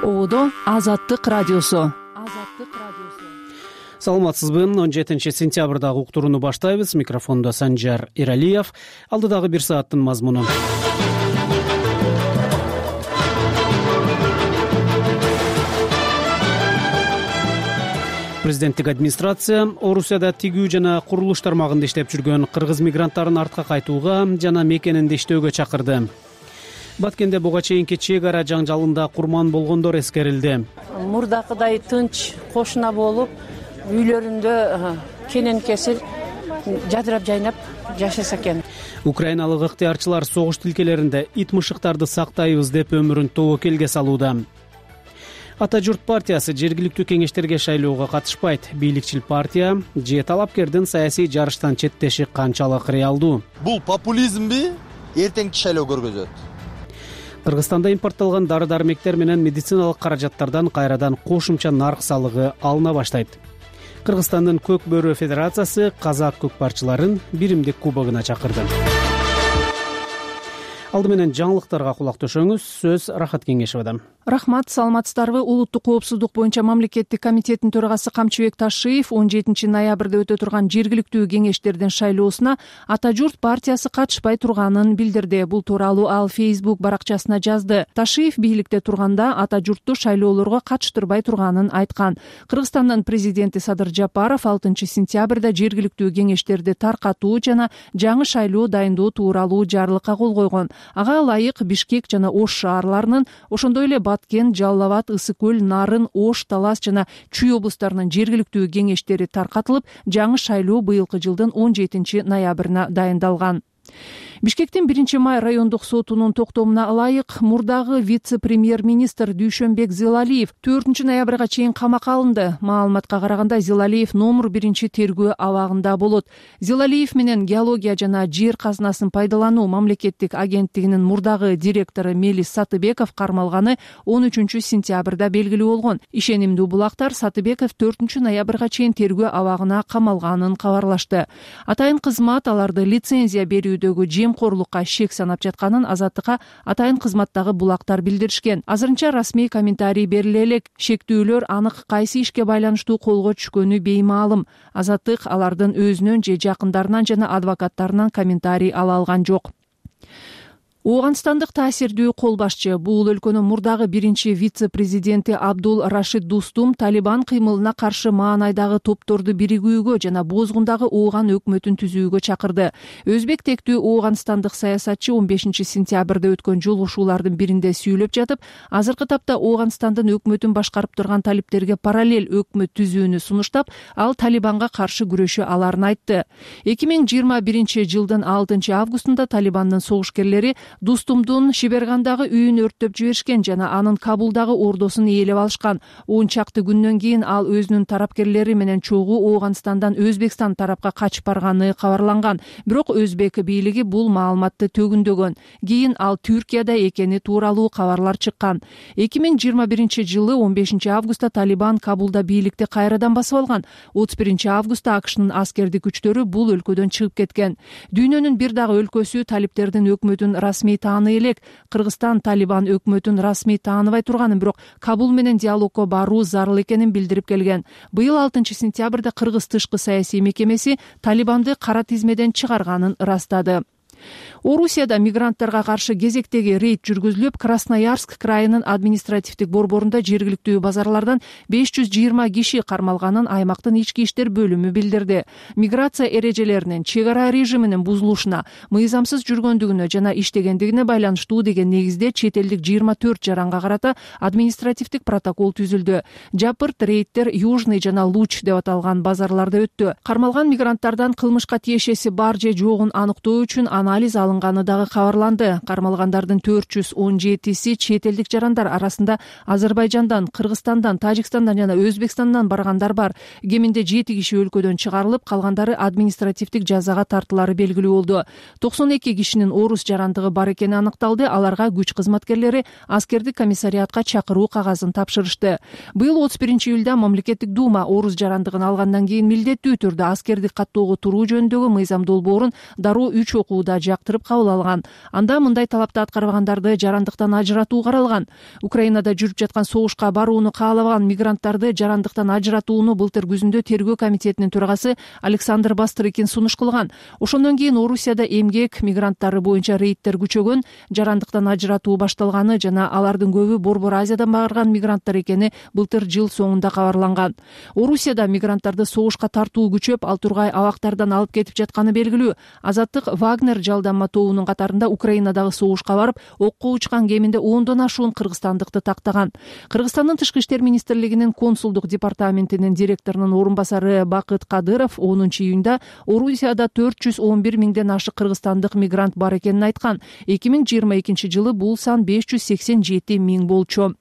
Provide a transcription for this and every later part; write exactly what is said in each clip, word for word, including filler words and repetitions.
Оодо Азаттык радиосу. Саламатсызбы? он жетинчи сентябрдагы уктурууну баштайбыз. Микрофондо Санжар Иралиев. Алдыдагы бир сааттын мазмуну. Президенттик администрация Орусияда тигүү жана курулуш тармагында иштеп жүргөн кыргыз мигранттарын артка кайтууга жана мекенинде иштөөгө чакырды. Баткенде буга чейинки чек ара жаңжалында курман болгондор эскерилди. Мурдакыдай тынч кошуна болуп, үйлөрүндө кенен кесир жадырап жайнап жашаса экен. Украиналык ыктыярчылар согуш тилкелеринде ит мышыктарды сактайбыз деп өмүрүн тобокелге салууда. Ата журт партиясы жергиликтүү кеңештерге шайлоого катышпайт. Бийликчил партия же талапкердин саясий жарыштан четтеши канчалык реалдуу? Бул популизмби, эртеңки шайлоо көргөзөт. Кыргызстанда импортталган дары-дармектер менен медициналык каражаттардан кайрадан кошумча нарк салыгы алына баштайт. Кыргызстандын Көк бөрү федерациясы казак көкпарчыларын биримдик кубогуна чакырды. Алды менен жаңылыктарга кулак төшөңүз. Сөз Рахат Кеңешевадан. Рахмат, саламатсыздарбы? Улуттук коопсуздук боюнча мамлекеттик комитеттин төрагасы Камчыбек Ташиев он жетинчи ноябрда өтө турган жергиликтүү кеңештердин шайлоосуна Ата журт партиясы катышпай турганын билдирди. Бул тууралуу ал Facebook баракчасына жазды. Ташиев бийликте турганда Ата журтту шайлоолорго катыштырбай турганын айткан. Кыргызстандын президенти Садыр Жапаров алтынчы сентябрда жергиликтүү кеңештерди таркатуу жана жаңы шайлоо дайындоо тууралуу жарлыкка кол койгон. Ага ылайык Бишкек жана Ош шаарларынын, ошондой эле Баткен, Жалал Абад, Ысык көл, Нарын, Ош, Талас жана Чүй облустарынын жергиликтүү кеңештери таркатылып, жаңы шайлоо быйылкы жылдын он жетинчи ноябрына дайындалган. Бишкектин биринчи май райондук сотунун токтомуна ылайык мурдагы вице-премьер-министр Дүйшөнбек Зилалиев төртүнчү ноябрга чейин камакка алынды. Маалыматка караганда Зилалиев номер биринчи тергөө абагында болот. Зилалиев менен геология жана жер казынасын пайдалануу мамлекеттик агенттигинин мурдагы директору Мелис Сатыбеков кармалганы он үчүнчү сентябрда белгилүү болгон. Ишенимдүү булактар Сатыбеков төртүнчү ноябрга чейин тергөө абагына камалганын кабарлашты. Атайын кызмат аларды лицензия берүүдөгү жемкорлукка шек санап жатканын Азаттыкка атайын кызматтагы булактар билдиришкен. Азырынча расмий комментарий бериле элек. Шектүүлөр анык кайсы ишке байланыштуу колго түшкөнү беймаалым. Азаттык алардын өзүнөн же жакындарынан жана адвокаттарынан комментарий ала алган жок. Ооганстандык таасирдүү кол башчы, бул өлкөнүн мурдагы биринчи вице-президенти Абдул Рашид Дустум Талибан кыймылына каршы маанайдагы топторду биригүүгө жана бозгундагы Ооган өкмөтүн түзүүгө чакырды. Өзбек тектүү ооганстандык саясатчы он бешинчи сентябрда өткөн жолугушуулардын биринде сүйлөп жатып, азыркы тапта Ооганстандын өкмөтүн башкарып турган талиптерге параллель өкмөт түзүүнү сунуштап, ал Талибанга каршы күрөшө аларын айтты. эки миң жыйырма биринчи жылдын алтынчы августунда Талибандын согушкерлери Дустумдун Шибергандагы үйүн өрттөп жиберишкен жана анын Кабулдагы ордосун ээлеп алышкан. он чакты күндөн кийин ал өзүнүн тарапкерлери менен чогуу Ооганстандан Өзбекстан тарапка качып барганы кабарланган. Бирок Өзбек бийлиги бул маалыматты төгүндөгөн. Кийин ал Түркияда экени тууралуу кабарлар чыккан. эки миң жыйырма биринчи жылы он бешинчи августта Талибан Кабулда бийликти кайрадан басып алган. отуз биринчи августта АКШнын аскердик күчтөрү бул өлкөдөн чыгып кеткен. Дүйнөнүн бир дагы өлкөсү талиптердин өкмөтүн расмий тааный элек. Кыргызстан Талибан өкмөтүн расмий тааныбай турганын, бирок Кабул менен диалогко баруу зарыл экенин билдирип келген. Быйыл алтынчы сентябрда Кыргыз тышкы саясий мекемеси Талибанды кара тизмеден чыгарганын ырастады. Орусияда мигранттарга каршы кезектеги рейд жүргүзүлүп, Красноярск крайынын административдик борборунда жергиликтүү базарлардан беш жүз жыйырма киши кармалганын аймактын ички иштер бөлүмү билдирди. Миграция эрежелеринин, чек ара режиминин бузулушуна, мыйзамсыз жүргөндүгүнө жана иштегендигине байланыштуу деген негизде чет элдик жыйырма төрт жаранга карата административдик протокол түзүлдү. Жапырт рейдтер Южный жана Луч деп аталган базарларда өттү. Кармалган мигранттардан кылмышка тиешеси бар же жогун аныктоо үчүн анализ алынганы дагы кабарланды. Кармалгандардын төрт жүз он жетиси чет элдик жарандар арасында Азербайжандан, Кыргызстандан, Тажикстандан жана Өзбекстандан баргандар бар. Кеминде жети киши өлкөдөн чыгарылып, калгандары административдик жазага тартылары белгилүү болду. токсон эки кишинин орус жарандыгы бар экени аныкталды. Аларга күч кызматкерлери аскердик комиссариатка чакыруу кагазын тапшырышты. Быйыл отуз биринчи июлда мамлекеттик дума орус жарандыгын алгандан кийин милдеттүү түрдө аскердик каттоого туруу жөнүндөгү мыйзам долбоорун дароо үч окууда жактырып кабыл алган. Анда мындай талапты аткарбагандарды жарандыктан ажыратуу каралган. Украинада жүрүп жаткан согушка барууну каалабаган мигранттарды жарандыктан ажыратууну былтыр күзүндө тергөө комитетинин төрагасы Александр Бастрыкин сунуш кылган. Ошондон кийин Орусияда эмгек мигранттары боюнча рейдтер күчөгөн, жарандыктан ажыратуу башталганы жана алардын көбү Борбор Азиядан барган мигранттар экени былтыр жыл соңунда кабарланган. Орусияда мигранттарды согушка тартуу күчөп, ал тургай абактардан алып кетип жатканы белгилүү. Азаттык Вагнер жалданма тобунун катарында Украинадагы согушка барып, окко учкан кеминде ондон ашуун кыргызстандыкты тактаган. Кыргызстандын Тышкы иштер министрлигинин консулдук департаментинин директорунун орун басары Бакыт Кадыров онунчу июнда Орусияда төрт жүз он бир миңден ашык кыргызстандык мигрант бар экенин айткан. эки миң жыйырма экинчи жылы бул сан беш жүз сексен жети миң болчу.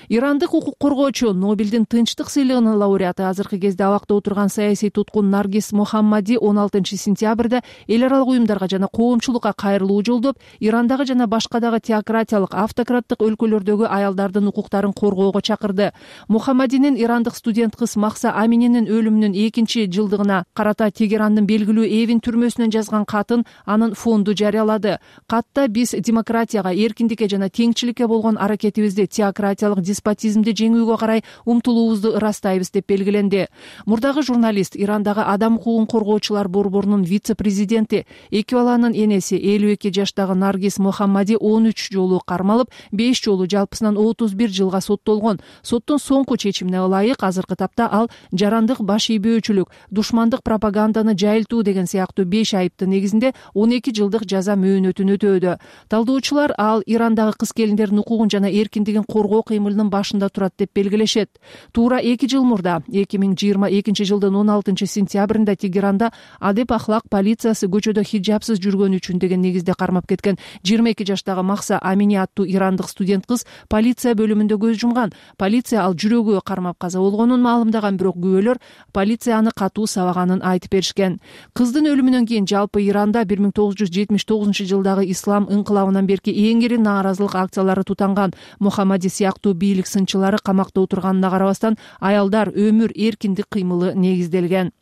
Ирандык укук коргоочу, Нобелдин тынчтык сыйлыгынын лауреаты, азыркы кезде абакта отурган саясий туткун Наргиз Мохаммади он алтынчы сентябрда эл аралык уюмдарга жана коомчулукка кайрылуу жолдоп, Ирандагы жана башка дагы теократиялык, автократтык өлкөлөрдөгү аялдардын укуктарын коргоого чакырды. Мохаммадинин ирандык студент кыз Махса Амининин өлүмүнүн экинчи жылдыгына карата Тегерандын белгилүү Эвин түрмөсүнөн жазган катын анын фонду жарыялады. Катта биз демократияга, эркиндикке жана теңчиликке болгон аракетибизди, теократиялык деспотизмди жеңүүгө карай умтулуубузду ырастайбыз деп белгиленди. Мурдагы журналист, Ирандагы адам укугун коргоочулар борборунун вице-президенти, эки баланын энеси элүү эки жаштагы Наргиз Мохаммади он үч жолу кармалып, беш жолу жалпысынан отуз бир жылга соттолгон. Соттун соңку чечимине ылайык азыркы тапта ал жарандык, баш ийбөөчүлүк, душмандык пропаганданы жайылтуу деген сыяктуу беш айыптын негизинде он эки жылдык жаза мөөнөтүн өтөөдө. Талдоочулар ал Ирандагы кыз-келиндердин укугун жана эркиндигин коргоо кыймылынын башында турат деп белгилешет. Туура эки жыл мурда, эки миң жыйырма экинчи жылдын он алтынчы сентябрында Тегеранда адеп ахлак полициясы көчөдө хиджабсыз жүргөнү үчүн деген негизде кармап кеткен жыйырма эки жаштагы Махса Амини аттуу ирандык студент кыз полиция бөлүмүндө көз жумган. Полиция ал жүрөгү кармап каза болгонун маалымдаган, бирок күбөлөр полиция аны катуу сабаганын айтып беришкен. Кыздын өлүмүнөн кийин жалпы Иранда бир миң тогуз жүз жетимиш тогузунчу жылдагы ислам инкылабынан берки эң ири нааразылык акциялары тутанган. Мохаммади сыяктуу бийлик сынчылары камакта отурганына карабастан, аялдар, өмүр, эркиндик кыймылы негизделген.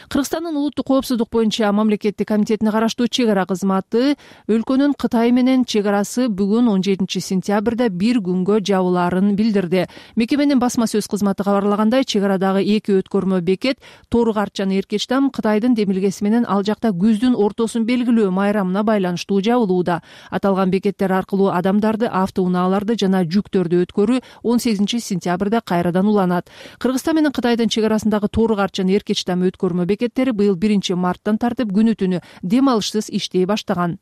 Кыргызстандын улуттук коопсуздук боюнча мамлекеттик комитетине караштуу чек ара кызматы өлкөнүн Кытай менен чек арасы бүгүн он жетинчи сентябрда бир күнгө жабылаарын билдирди. Мекеменин басма сөз кызматы кабарлагандай, чек арадагы эки өткөрмө бекет Тору Карт жана Эркечтам Кытайдын демилгеси менен ал жакта күздүн ортосун белгилөө майрамына байланыштуу жабылууда. Аталган бекеттер аркылуу адамдарды, автоунааларды жана жүктөрдү өткөрүү он сегизинчи сентябрда кайрадан уланат. Кыргызстан менен Кытайдын чек арасындагы Тору Карт жана Эркечтам өткөрмө бекеттери быйыл биринчи марттан тартып күнү түнү дем алышсыз иштей баштаган.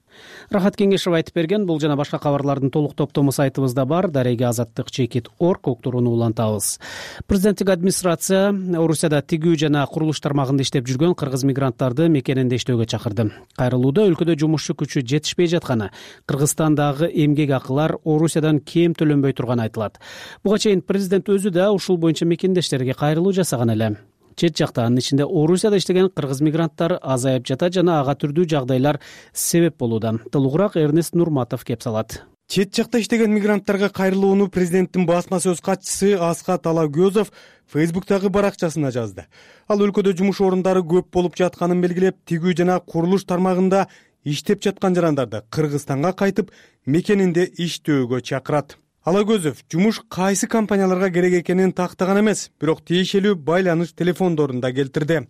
Рахат Кеңешов айтып берген. Бул жана башка кабарлардын толук топтому сайтыбызда бар. Дареги азаттык чекит орг уктурууну улантабыз. Президенттик администрация Орусияда тигүү жана курулуш тармагында иштеп жүргөн кыргыз мигранттарды мекенинде иштөөгө чакырды. Кайрылууда өлкөдө жумушчу күчү жетишпей жатканы, Кыргызстандагы эмгек акылар Орусиядан кем төлөнбөй турганы айтылат. Буга чейин президент өзү да ушул боюнча мекендештерге кайрылуу жасаган эле. Чет жакта, анын ичинде Орусияда иштеген кыргыз мигранттар азайып жата жана ага түрдүү жагдайлар себеп болууда. Толугураак Эрнест Нурматов кеп салат. Чет жакта иштеген мигранттарга кайрылууну президенттин басма сөз катчысы Аскат Алагөзов Фейсбуктагы баракчасына жазды. Ал өлкөдө жумуш орундары көп болуп жатканын белгилеп, тигүү жана курулуш тармагында иштеп жаткан жарандарды Кыргызстанга кайтып, мекенинде иштөөгө чакырат. Алагөзов жумуш кайсы компанияларга керек экенин тактаган эмес, бирок тиешелүү байланыш телефондорун да келтирди.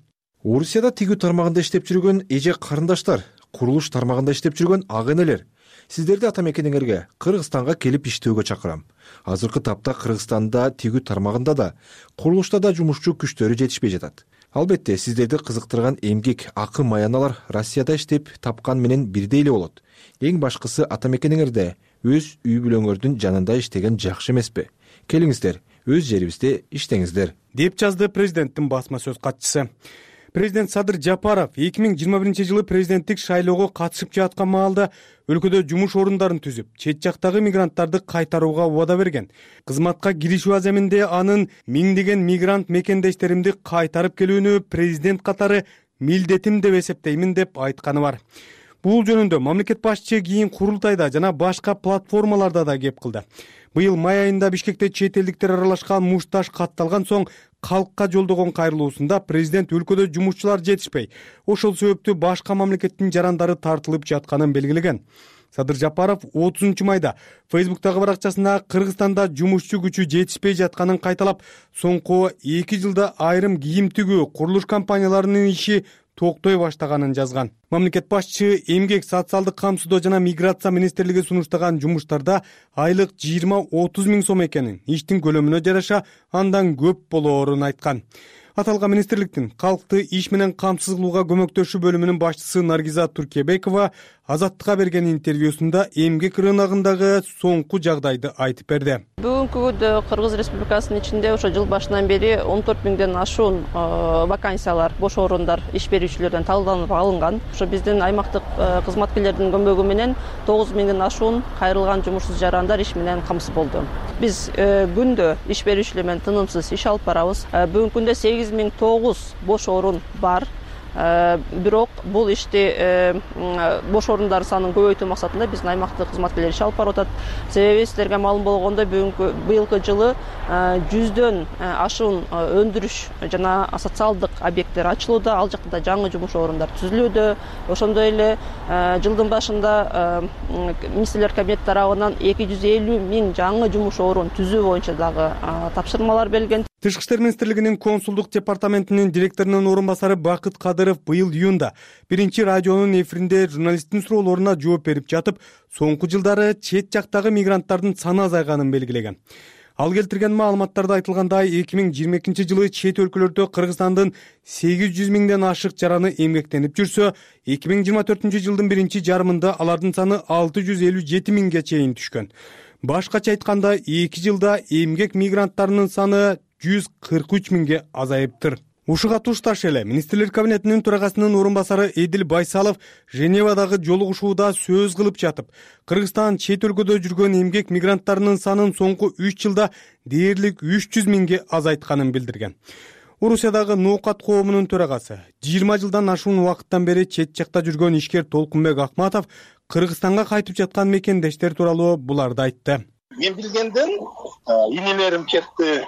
Орусияда тигүү тармагында иштеп жүргөн эже карындаштар, курулуш тармагында иштеп жүргөн ага энелер, сиздерди ата мекениңерге, Кыргызстанга келип иштөөгө чакырам. Азыркы тапта Кыргызстанда тигүү тармагында да, курулушта да жумушчу күчтөрү жетишпей жатат. Албетте, сиздерди кызыктырган эмгек акы маяналар Россияда иштеп тапкан менен бирдей эле болот. Эң башкысы ата мекениңерде өз үй бүлөңөрдүн жанында иштеген жакшы эмеспи? Келиңиздер, өз жерибизде иштеңиздер, деп жазды президенттин басма сөз катчысы. Президент Садыр Жапаров эки миң жыйырма биринчи жылы президенттик шайлоого катышып жаткан маалда өлкөдө жумуш орундарын түзүп, чет жактагы мигранттарды кайтарууга убада берген. Кызматка киришүү аземинде анын миңдеген мигрант мекендештеримди кайтарып келүүнү президент катары милдетим деп эсептеймин деп айтканы бар. Бул жөнүндө мамлекет башчы кийин курултайда жана башка платформаларда да кеп кылды. Быйыл май айында Бишкекте чет элдиктер аралашкан мушташ катталган соң калкка жолдогон кайрылуусунда президент өлкөдө жумушчулар жетишпей, ошол себептүү башка мамлекеттин жарандары тартылып жатканын белгилеген. Садыр Жапаров отузунчу майда Фейсбуктагы баракчасына Кыргызстанда жумушчу күчү жетишпей жатканын кайталап, соңку эки жылда айрым кийим тигүү, курулуш компанияларынын иши токтой баштаганын жазган. Мамлекет башчысы эмгек, социалдык камсыздоо жана миграция министрлиги сунуштаган жумуштарда айлык жыйырма отуз миң сом экенин, иштин көлөмүнө жараша андан көп болоорун айткан. Аталган министрликтин калкты иш менен камсыз кылууга көмөктөшүү бөлүмүнүн башчысы Наргиза Туркебекова Азаттыкка берген интервьюсунда эмгек рыногундагы соңку жагдайды айтып берди. Бүгүнкү күндө Кыргыз Республикасынын ичинде ошо жыл башынан бери он төрт миңден ашуун вакансиялар, бош орундар иш берүүчүлөрдөн талданып алынган. Ошо биздин аймактык кызматкерлердин көмөгү менен тогуз миңден ашуун кайрылган жумушсуз жарандар иш менен камсыз болду. Биз күндө иш берүүчүлөр менен тынымсыз иш алып барабыз. Бүгүнкү күндө сегиз миң тогуз бош орун бар. Бирок бул ишти бош орундар санын көбөйтүү максатында биздин аймактык кызматкерлер иш алып барып атат. Себеби сиздерге маалым болгондой, бүгүнкү быйылкы жылы жүздөн ашуун өндүрүш жана социалдык объекттер ачылууда, ал жакта жаңы жумуш орундар түзүлүүдө. Ошондой эле жылдын башында министрлер кабинети тарабынан эки жүз элүү миң жаңы жумуш орун түзүү боюнча дагы тапшырмалар берилген. Тышкы иштер министрлигинин консулдук департаментинин директорунун орун басары Бакыт Кадыров быйыл июнда биринчи радионун эфиринде журналисттин суроолоруна жооп берип жатып, соңку жылдары чет жактагы мигранттардын саны азайганын белгилеген. Ал келтирген маалыматтарда айтылгандай, эки миң жыйырма экинчи жылы чет өлкөлөрдө Кыргызстандын сегиз жүз миңден ашык жараны эмгектенип жүрсө, эки миң жыйырма төртүнчү жылдын биринчи жарымында алардын саны алты жүз элүү жети миңге чейин түшкөн. Башкача айтканда, эки жылда эмгек мигранттарынын саны жүз кырк үч миңге азайыптыр. Ушуга тушташ эле министрлер кабинетинин төрагасынын орун басары Эдил Байсалов Женевадагы жолугушууда сөз кылып жатып, Кыргызстан чет өлкөдө жүргөн эмгек мигранттарынын санын соңку үч жылда дээрлик үч жүз миңге азайтканын билдирген. Орусиядагы ноокат коомунун төрагасы жыйырма жылдан ашуун убакыттан бери чет жакта жүргөн ишкер Толкунбек Акматов Кыргызстанга кайтып жаткан мекендештер тууралуу буларды айтты. Мен билгенден инелерим кетти.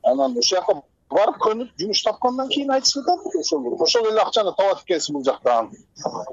Анан ошол жака барып көнүп жумуш тапкандан кийин айтышып атат. Ошол ошол эле акчаны табат экенсиң бул жактан.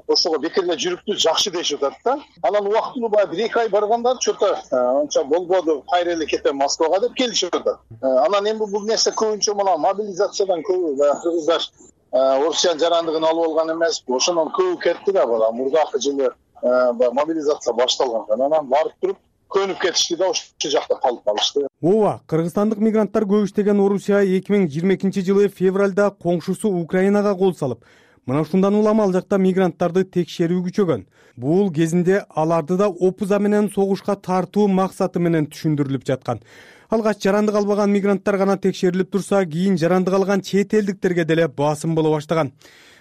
Ошого бекер эле жүрүптү жакшы дешип атат да. Анан убактылуу баягы бир эки ай баргандар чөтө анча болбоду, кайра эле кетем Москвага деп келишип атат. Анан эми бул нерсе көбүнчө мына мобилизациядан көбү баягы кыргыздар Орусиянын жарандыгын алып алган эмес. Ошондон көбү кетти да бала. Мурдакы жылы мобилизация башталган. Анан барып туруп көнүп кетишти да ошол жакта калып калышты. Ооба, кыргызстандык мигранттар көп иштеген Орусия эки миң жыйырма экинчи жылы февралда коңшусу Украинага кол салып, мына ушундан улам ал жакта мигранттарды текшерүү күчөгөн. Бул кезинде аларды да опуза менен согушка тартуу максаты менен түшүндүрүлүп жаткан. Алгач жарандык албаган мигранттар гана текшерилип турса, кийин жарандык алган чет элдиктерге деле басым боло баштаган.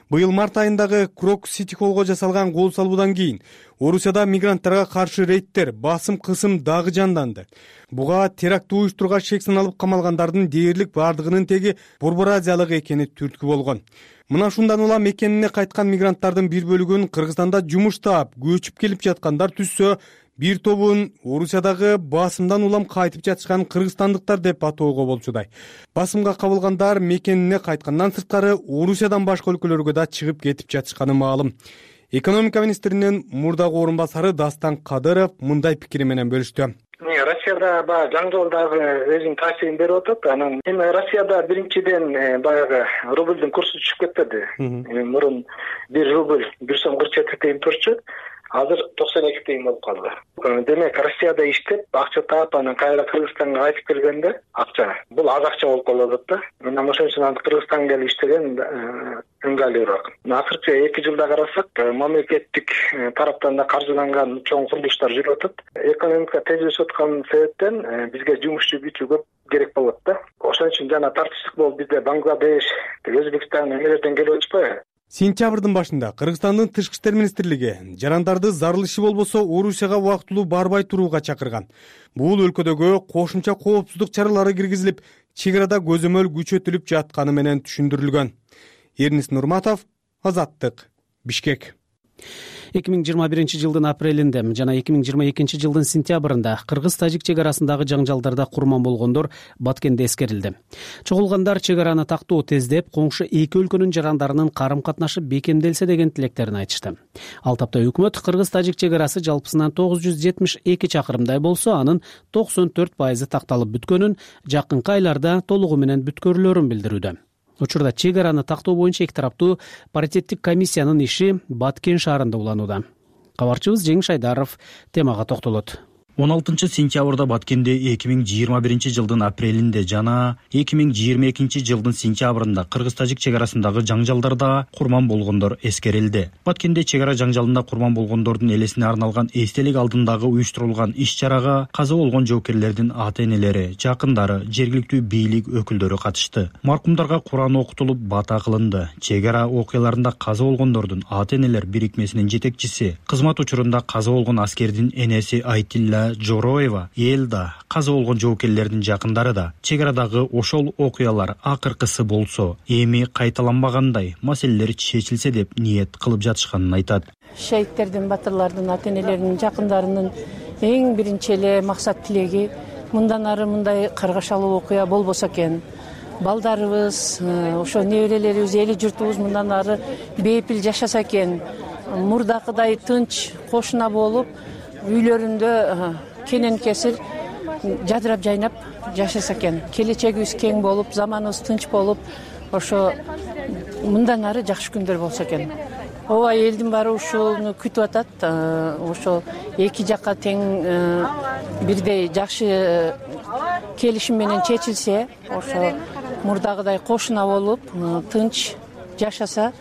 Быйыл март айындагы Крок Сити Холлго жасалган кол салуудан кийин Орусияда мигранттарга каршы рейдтер, басым кысым дагы жанданды. Буга теракт уюштурууга шек саналып камалгандардын дээрлик бардыгынын теги Борбор Азиялык экени түрткү болгон. Мына ушундан улам мекенине кайткан мигранттардын бир бөлүгүн Кыргызстанда жумуш таап, көчүп келип жаткандар түшсө, бир тобун Орусиядагы басымдан улам кайтып жатышкан кыргызстандыктар деп атоого болчудай. Басымга кабылгандар мекенине кайткандан сырткары Орусиядан башка өлкөлөргө да чыгып кетип жатышканы маалым. Экономика министринин мурдагы орун басары Дастан Кадыров мындай пикири менен бөлүштү. Россияда баягы жаңы жол дагы өзүнүн таасирин берип атат. Анан эми Россияда биринчиден баягы рубльдун курсу түшүп кетти. Мурун бир рубль бир сом кырк жети тыйын турчу. Азыр токсон эки тыйын болуп калды. Демек Россияда иштеп, акча таап, анан кайра Кыргызстанга кайтып келгенде акча. Бул аз акча болуп калып атат да. Анан ошон үчүн Кыргызстанга келип иштеген ыңгайлуураак. Акыркы эки жылда карасак, мамлекеттик тараптан да каржыланган чоң курулуштар жүрүп атат. Экономика тезлешип аткан себептен бизге жумушчу күчү көп керек болот да. Ошон үчүн жана тартыштык болуп бизде Бангладеш, Өзбекстан эмелерден келип атышпайбы? Сентябрдын башында Кыргызстандын Тышкы иштер министрлиги жарандарды зарыл иши болбосо Орусияга убактылуу барбай турууга чакырган. Бул өлкөдөгү кошумча коопсуздук чаралары киргизилип, чек арада көзөмөл күчөтүлүп жатканы менен түшүндүрүлгөн. Эрнис Нурматов, Азаттык, Бишкек. эки миң жыйырма биринчи жылдын апрелинде жана эки миң жыйырма экинчи жылдын сентябрында кыргыз-тажик чек арасындагы жаңжалдарда курман болгондор Баткенде эскерилди. Чогулгандар чек араны тактоо тездеп, коңшу эки өлкөнүн жарандарынын карым-катнашы бекемделсе деген тилектерин айтышты. Ал тапта өкмөт кыргыз-тажик чек арасы жалпысынан тогуз жүз жетимиш эки чакырымдай болсо, анын токсон төрт пайызы такталып бүткөнүн, жакынкы айларда толугу менен бүткөрүлөрүн билдирүүдө. Учурда чек араны тактоо боюнча эки тараптуу паритеттик комиссиянын иши Баткен шаарында уланууда. Кабарчыбыз Жеңиш Айдаров темага токтолот. он алтынчы сентябрда Баткенде эки миң жыйырма биринчи жылдын апрелинде жана эки миң жыйырма экинчи жылдын сентябрында кыргыз-тажик чек арасындагы жаңжалдарда курман болгондор эскерилди. Баткенде чек ара жаңжалында курман болгондордун элесине арналган эстелик алдындагы уюштурулган иш-чарага каза болгон жоокерлердин ата-энелери, жакындары, жергиликтүү бийлик өкүлдөрү катышты. Маркумдарга Куран окутулуп, бата кылынды. Чек ара окуяларында каза болгондордун ата-энелер бирикмесинин жетекчиси, кызмат учурунда каза болгон аскердин энеси Айтилла Жороева, Элда, каза болгон жоокерлердин жакындары да чек арадагы ошол окуялар акыркысы болсо, эми кайталанбагандай маселелер чечилсе деп ниет кылып жатышканын айтат. Шейиттердин, батырлардын, ата-энелеринин, жакындарынын эң биринчи эле максат тилеги мындан ары мындай каргашалуу окуя болбосо экен. Балдарыбыз, ошо неберелерибиз, эли журтубуз мындан ары бейпил жашаса экен. Мурдакыдай тынч, кошуна болуп, үйлөрүндө кенен кесир жадырап жайнап жашаса экен. Келечегибиз кең болуп, заманыбыз тынч болуп, ошо мындан ары жакшы күндөр болсо экен. Ооба, элдин баары ушуну күтүп атат. Ошо эки жакка тең бирдей жакшы келишим менен чечилсе, ошо мурдагыдай кошуна болуп, тынч жашаса,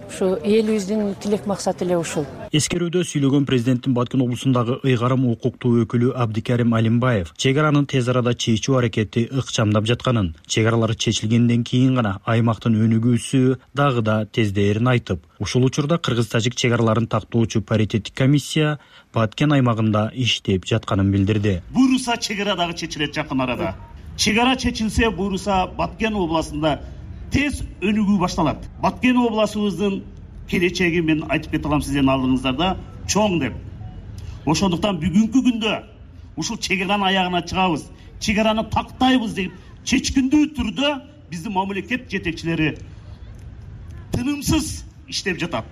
ушу элибиздин тилек максаты эле ушул. Эскерүүдө сүйлөгөн президенттин Баткен облусундагы ыйгарым укуктуу өкүлү Абдикарим Алимбаев чек аранын тез арада чечүү аракети ыкчамдап жатканын, чек аралар чечилгенден кийин гана аймактын өнүгүүсү дагы да тездээрин айтып, ушул учурда кыргыз-тажик чек араларын тактоочу паритеттик комиссия Баткен аймагында иштеп жатканын билдирди. Буйруса чек ара дагы чечилет жакын арада. Чек ара чечилсе, буйруса Баткен областында тез өнүгүү башталат. Баткен обласыбыздын келечеги мен айтып кете алам сиздердин алдыңыздарда чоң деп. Ошондуктан бүгүнкү күндө ушул чек аранын аягына чыгабыз, чек араны тактайбыз деп чечкиндүү түрдө биздин мамлекет жетекчилери тынымсыз иштеп жатат.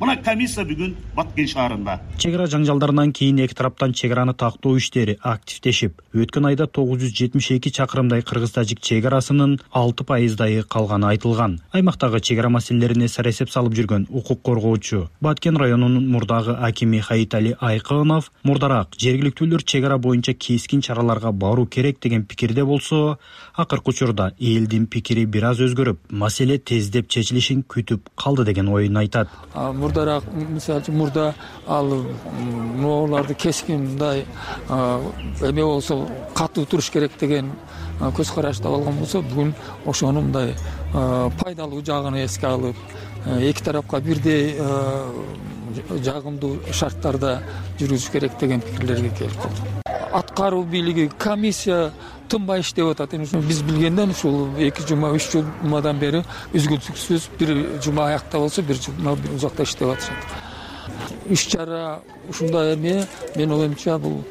Мына комиссия бүгүн Баткен шаарында. Чек ара жаңжалдарынан кийин эки тараптан чек араны тактоо иштери активдешип, өткөн айда тогуз жүз жетимиш эки чакырымдай кыргыз-тажик чек арасынын алты пайыздайы калганы айтылган. Аймактагы чек ара маселелерине сарасеп салып жүргөн укук коргоочу Баткен районунун мурдагы акими Хаитали Айкынов мурдараак жергиликтүүлөр чек ара боюнча кескин чараларга баруу керек деген пикирде болсо, акыркы учурда элдин пикири бир аз өзгөрүп, маселе тездеп чечилишин күтүп калды деген оюн айтат. Мурдараак, мисалы үчүн мурда ал мооларды кескин мындай эме болсо катуу туруш керек деген көз карашта болгон болсо, бүгүн ошону мындай пайдалуу жагын эске алып, эки тарапка бирдей жагымдуу шарттарда жүрүш керек деген пикирлерге келип калдык. Аткаруу бийлиги, комиссия тынбай иштеп атат. Биз билгенден ушул эки жума, үч жумадан бери үзгүлтүксүз бир жума аякта болсо, бир жума узакта иштеп атышат. Иш-чара ушундай эме, мен оюмча бул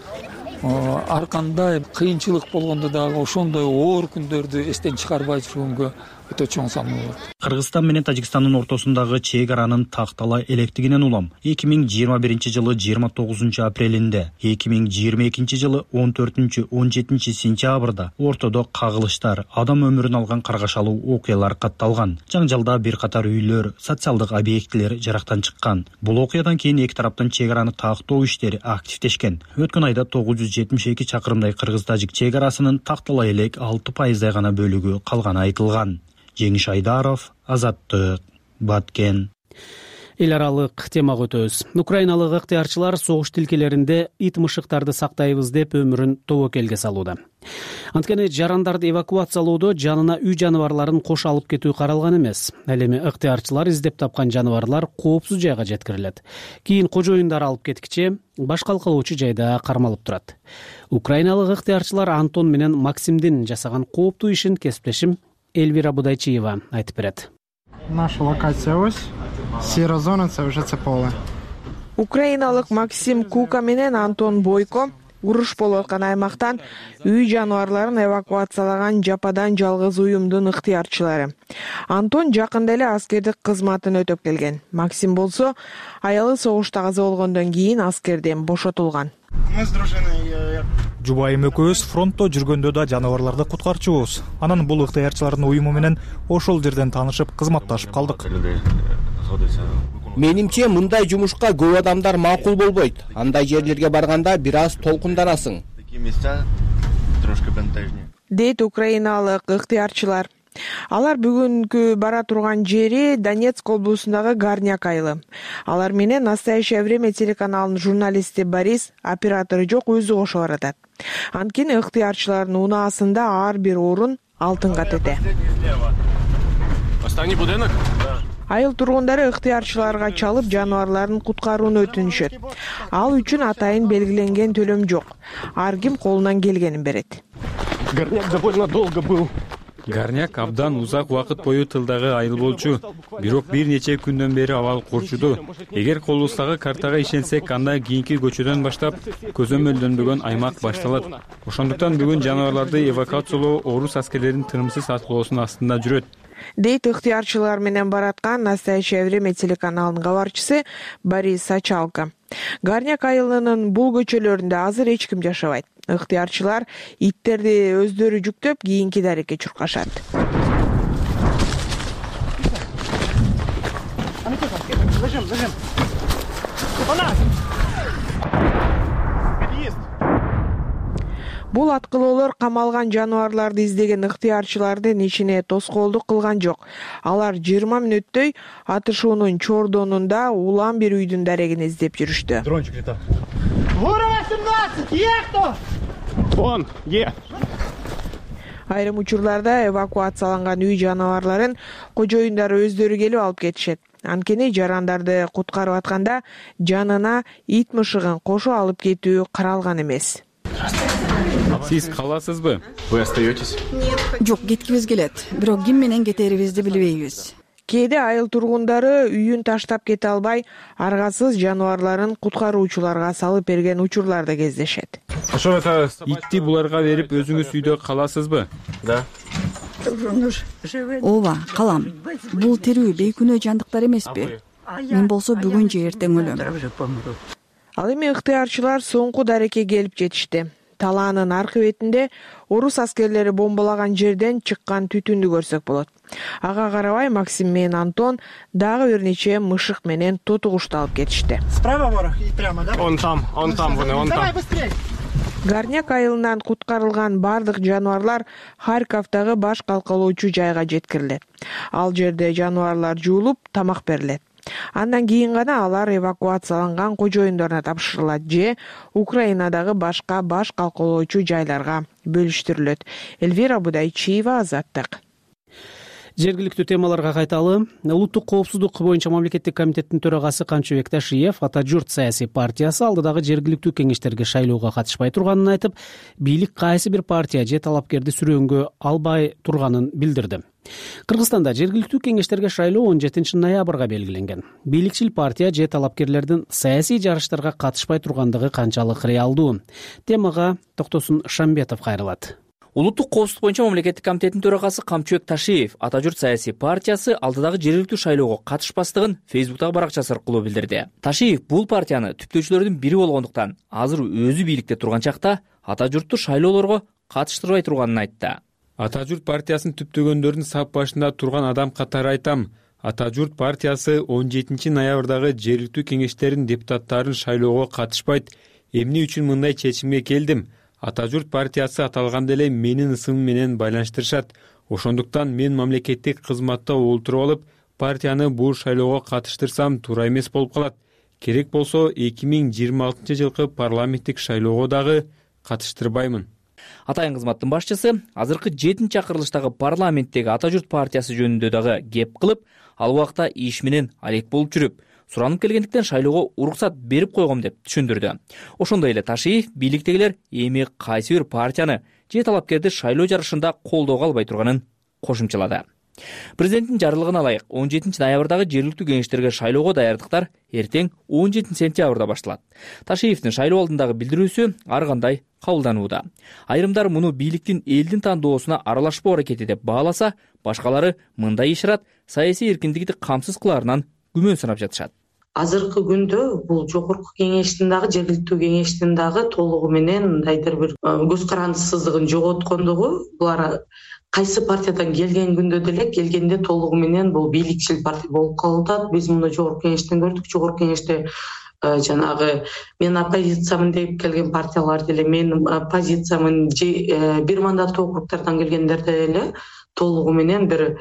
ар кандай кыйынчылык болгондо дагы ошондой оор күндөрдү эстен чыгарбай жүргөнгө өтө чоң салым болот. Кыргызстан менен Тажикстандын ортосундагы чек аранын тактала электигинен улам эки миң жыйырма биринчи жылы жыйырма тогузунчу апрелинде, эки миң жыйырма экинчи жылы он төртүнчү он жетинчи сентябрда ортодо кагылыштар, адам өмүрүн алган каргашалуу окуялар катталган. Жаңжалда бир катар үйлөр, социалдык объектилер жарактан чыккан. Бул окуядан кийин эки тараптан чек араны тактоо иштери активдешкен. Өткөн айда тогуз жүз жетимиш эки чакырымдай кыргыз-тажик чек арасынын тактала элек алты пайыздай гана бөлүгү калганы айтылган. Жеңиш Айдаров, Азаттык, Баткен. Эл аралык темага өтөбүз. Украиналык ыктыярчылар согуш тилкелеринде ит мышыктарды сактайбыз деп өмүрүн тобокелге салууда. Анткени жарандарды эвакуациялоодо жанына үй жаныбарларын кош алып кетүү каралган эмес. Ал эми ыктыярчылар издеп тапкан жаныбарлар коопсуз жайга жеткирилет. Кийин кожоюндар алып кеткиче баш калкалоочу жайда кармалып турат. Украиналык ыктыярчылар Антон менен Максимдин жасаган кооптуу ишин кесиптешим Эльвира Будайчиева айтып берет. Наша локация ось. Сера зона — це вже це поле. Украиналык Максим Кука менен Антон Бойко уруш болуп аткан аймактан үй жаныбарларын эвакуациялаган жападан жалгыз уюмдун ыктыярчылары. Антон жакында эле аскердик кызматын өтөп келген. Максим болсо аялы согушта каза болгондон кийин аскерден бошотулган. Жубайым экөөбүз фронтто жүргөндө да жаныбарларды куткарчубуз. Анан бул ыктыярчылардын уюму менен ошол жерден таанышып, кызматташып калдык. Менимче мындай жумушка көп адамдар макул болбойт. Андай жерлерге барганда бир аз толкунданасың. Дейт украиналык ыктыярчылар. Алар бүгүнкү бара турган жери Донецк облусундагы Горняк айылы. Алар менен «Настоящее время» телеканалынын журналисти Борис, оператору жок, өзү кошо баратат. Анткени ыктыярчылардын унаасында ар бир орун алтынга тете. Останний будинок? Айыл тургундары ыктыярчыларга чалып жаныбарларын куткарууну өтүнүшөт. Ал үчүн атайын белгиленген төлөм жок. Ар ким колунан келгенин берет. Горняк довольно долго был. Горняк абдан узак убакыт бою тылдагы айыл болчу. Бирок бир нече күндөн бери абал курчуду. Эгер колубуздагы картага ишенсек, анда кийинки көчөдөн баштап көзөмөлдөнбөгөн аймак башталат. Ошондуктан бүгүн жаныбарларды эвакуациялоо орус аскерлеринин тынымсыз аткылоосунун астында жүрөт. Дейт ыктыярчылар менен бараткан «Настоящее время» телеканалынын кабарчысы Борис Сачалко. Горняк айылынын бул көчөлөрүндө азыр эч ким жашабайт. Ыктыярчылар иттерди өздөрү жүктөп кийинки дарекке чуркашат. Бул аткылоолор камалган жаныбарларды издеген ыктыярчылардын ишине тоскоолдук кылган жок. Алар жыйырма мүнөттөй атышуунун чордонунда улам бир үйдүн дарегин издеп жүрүштү. Дрончик летал. восемнадцать, есть кто? Вон, е. Айрым учурларда эвакуацияланган үй жаныбарларын кожоюндары өздөрү келип алып кетишет. Анткени жарандарды куткарып атканда жанына ит мышыгын кошо алып кетүү каралган эмес. Сиз каласызбы? Вы остаетесь? Жок, кеткибиз келет. Бирок ким менен кетерибизди билбейбиз. Кээде айыл тургундары үйүн таштап кете албай, аргасыз жаныбарларын куткаруучуларга салып берген учурлар да кездешет. Итти буларга берип өзүңүз үйдө каласызбы? Да. Ооба, калам. Бул тирүү бейкүнөө жандыктар эмеспи? Мен болсо бүгүн же эртең өлөм. Ал эми ыктыярчылар соңку дарекке келип жетишти. Талаанын аркы бетинде орус аскерлери бомбалаган жерден чыккан түтүндү көрсөк болот. Ага карабай Максим менен Антон дагы бир нече мышык менен тоту кушту алып кетишти. Справа ворох и прямо, да? Он там, он там, вон, он там. Давай быстрее. Горняк айылынан куткарылган бардык жаныбарлар Харьковдагы баш калкалоочу жайга жеткирилет. Ал жерде жаныбарлар жуулуп, тамак берилет. Андан кийин гана алар эвакуацияланган кожоюндарына тапшырылат же Украинадагы башка баш калкалоочу жайларга бөлүштүрүлөт. Эльвира Будайчиева, Азаттык. Жергиликтүү темаларга кайталы. Улуттук коопсуздук боюнча мамлекеттик комитеттин төрагасы Камчыбек Ташиев Ата журт саясий партиясы алдыдагы жергиликтүү кеңештерге шайлоого катышпай турганын айтып, бийлик кайсы бир партия же талапкерди сүрөөнгө албай турганын билдирди. Кыргызстанда жергиликтүү кеңештерге шайлоо он жетинчи ноябрга белгиленген. Бийликчил партия же талапкерлердин саясий жарыштарга катышпай тургандыгы канчалык реалдуу? Темага Токтосун Шамбетов кайрылат. Улуттук коопсуздук боюнча мамлекеттик комитеттин төрагасы Камчыбек Ташиев Ата журт саясий партиясы алдыдагы жергиликтүү шайлоого катышпастыгын Фейсбуктагы баракчасы аркылуу билдирди. Ташиев бул партияны түптөөчүлөрдүн бири болгондуктан азыр өзү бийликте турган чакта Ата журтту шайлоолорго катыштырбай турганын айтты. Ата журт партиясын түптөгөндөрдүн сап башында турган адам катары айтам. Ата журт партиясы он жетинчи ноябрдагы жергиликтүү кеңештердин депутаттарын шайлоого катышпайт. Эмне үчүн мындай чечимге келдим? Ата журт партиясы аталганда эле менин ысымым менен байланыштырышат. Ошондуктан мен мамлекеттик кызматта олтуруп алып, партияны бул шайлоого катыштырсам туура эмес болуп калат. Керек болсо эки миң жыйырма алтынчы жылкы парламенттик шайлоого дагы катыштырбаймын. Атайын кызматтын башчысы азыркы жетинчи чакырылыштагы парламенттеги Ата журт партиясы жөнүндө дагы кеп кылып, ал убакта иш менен алек болуп жүрүп, суранып келгендиктен шайлоого уруксат берип койгом деп түшүндүрдү. Ошондой эле Ташиев бийликтегилер эми кайсы бир партияны же талапкерди шайлоо жарышында колдоого албай турганын кошумчалады. Президенттин жарлыгына ылайык он жетинчи ноябрдагы жергиликтүү кеңештерге шайлоого даярдыктар эртең он жетинчи сентябрда башталат. Ташиевдин шайлоо алдындагы билдирүүсү ар кандай кабылданууда. Айрымдар муну бийликтин элдин тандоосуна аралашпоо аракети деп бааласа, башкалары мындай ишарат саясий эркиндикти камсыз кылаарынан күмөн санап жатышат. Азыркы күндө бул жогорку кеңештин дагы жергиликтүү кеңештин дагы толугу менен мындайдыр бир көз карандысыздыгын жоготкондугу, булар кайсы партиядан келген күндө деле келгенде толугу менен бул бийликчил партия болуп калып атат. Биз муну жогорку кеңештен көрдүк. Жогорку кеңеште жанагы мен оппозициямын деп келген партиялар деле, мен оппозициямын бир мандаттуу округдардан келгендер деле толугу менен бир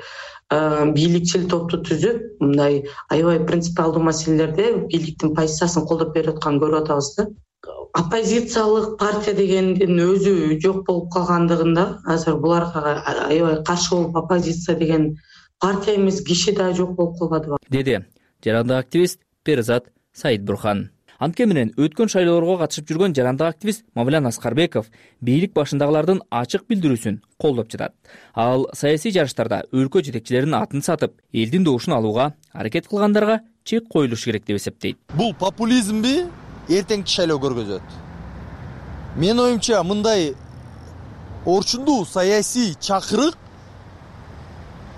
бийликчил топту түзүп, мындай аябай принципиалдуу маселелерде бийликтин позициясын колдоп берип атканын көрүп атабыз да. Оппозициялык партия дегендин өзү жок болуп калгандыгында азыр буларга аябай каршы болуп оппозиция деген партия эмес киши да жок болуп калбадыбы, деди жарандык активист Перизат Саидбурхан. Антке менен өткөн шайлоолорго катышып жүргөн жарандык активист Мавлян Аскарбеков бийлик башындагылардын ачык билдирүүсүн колдоп жатат. Ал саясий жарыштарда өлкө жетекчилеринин атын сатып, элдин добушун алууга аракет кылгандарга чек коюлушу керек деп эсептейт. Бул популизмби эртеңки шайлоо көргөзөт. Мен оюмча мындай орчундуу саясий чакырык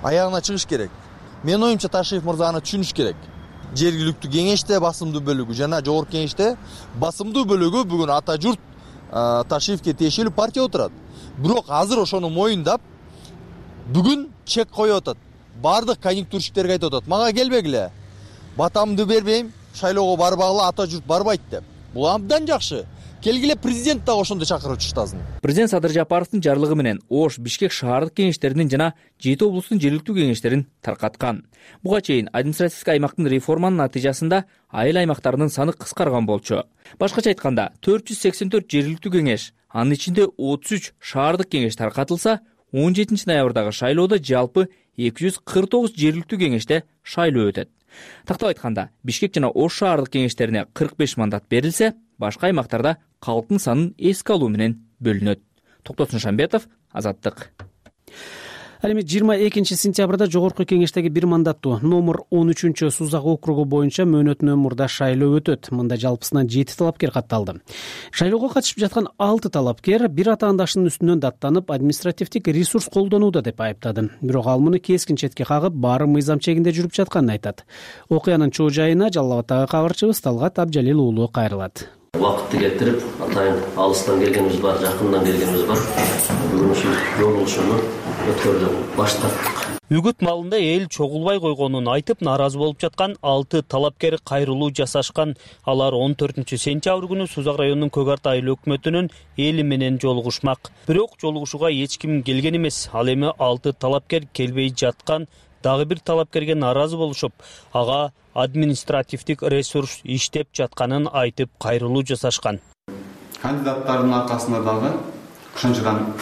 аягына чыгыш керек. Мен оюмча Ташиев мырза аны түшүнүш керек. Жергиликтүү кеңеште басымдуу бөлүгү жана жогорку кеңеште басымдуу бөлүгү бүгүн ата журт Ташиевке тиешелүү партия отурат. Бирок азыр ошону моюндап бүгүн чек коюп атат. Бардык конъюнктурщиктерге айтып атат: "Мага келбегиле. Батамды бербейм, шайлоого барбагыла, ата журт барбайт" деп. Бул абдан жакшы. Келгиле президент дагы ошондой чакырып чыштасын. Президент Садыр Жапаровдун жарлыгы менен Ош, Бишкек шаардык кеңештеринин жана жети облустун жергиликтүү кеңештерин таркаткан. Буга чейин административдик аймактын реформанын натыйжасында айыл аймактарынын саны кыскарган болчу. Башкача айтканда, төрт жүз сексен төрт жергиликтүү кеңеш, анын ичинде отуз үч шаардык кеңеш таркатылса, он жетинчи ноябрдагы шайлоодо жалпы эки жүз кырк тогуз жергиликтүү кеңеште шайлоо өтөт. Тактап айтканда, Бишкек жана Ош шаардык кеңештерине кырк беш мандат берилсе, башка аймактарда калктын санын эске алуу менен бөлүнөт. Токтосун Шамбетов, Азаттык. Ал эми жыйырма экинчи сентябрда жогорку кеңештеги бир мандаттуу номер он үчүнчү Сузак округу боюнча мөөнөт номурда шайлоо өтөт. Мында жалпысынан жети талапкер катталды. Шайлоого катышып жаткан алты талапкер бир атаандашынын үстүнөн даттанып, административдик ресурс колдонууда деп айыптады. Бирок ал муну кескин четке кагып, баары мыйзам чегинде жүрүп жатканын айтат. Окуянын чоо жайына Жалал Абадтагы кабарчыбыз Талгат Абжалил уулу кайрылат. Убакытты кетирип, атайын алыстан келгенибиз бар, жакындан келгенибиз бар. Бүгүн ушул жолугушууну өткөрүп баштадык. Үгүт малында эл чогулбай койгонун айтып нааразы болуп жаткан алты талапкер кайрылуу жасашкан. Алар он төртүнчү сентябрь күнү Сузак районунун Көк Арт айыл өкмөтүнүн эли менен жолугушмак. Бирок жолугушууга эч ким келген эмес. Ал эми алты талапкер келбей жаткан дагы бир талапкерге нааразы болушуп, ага административдик ресурс иштеп жатканын айтып кайрылуу жасашкан. Кандидаттардын аркасында дагы ошончодан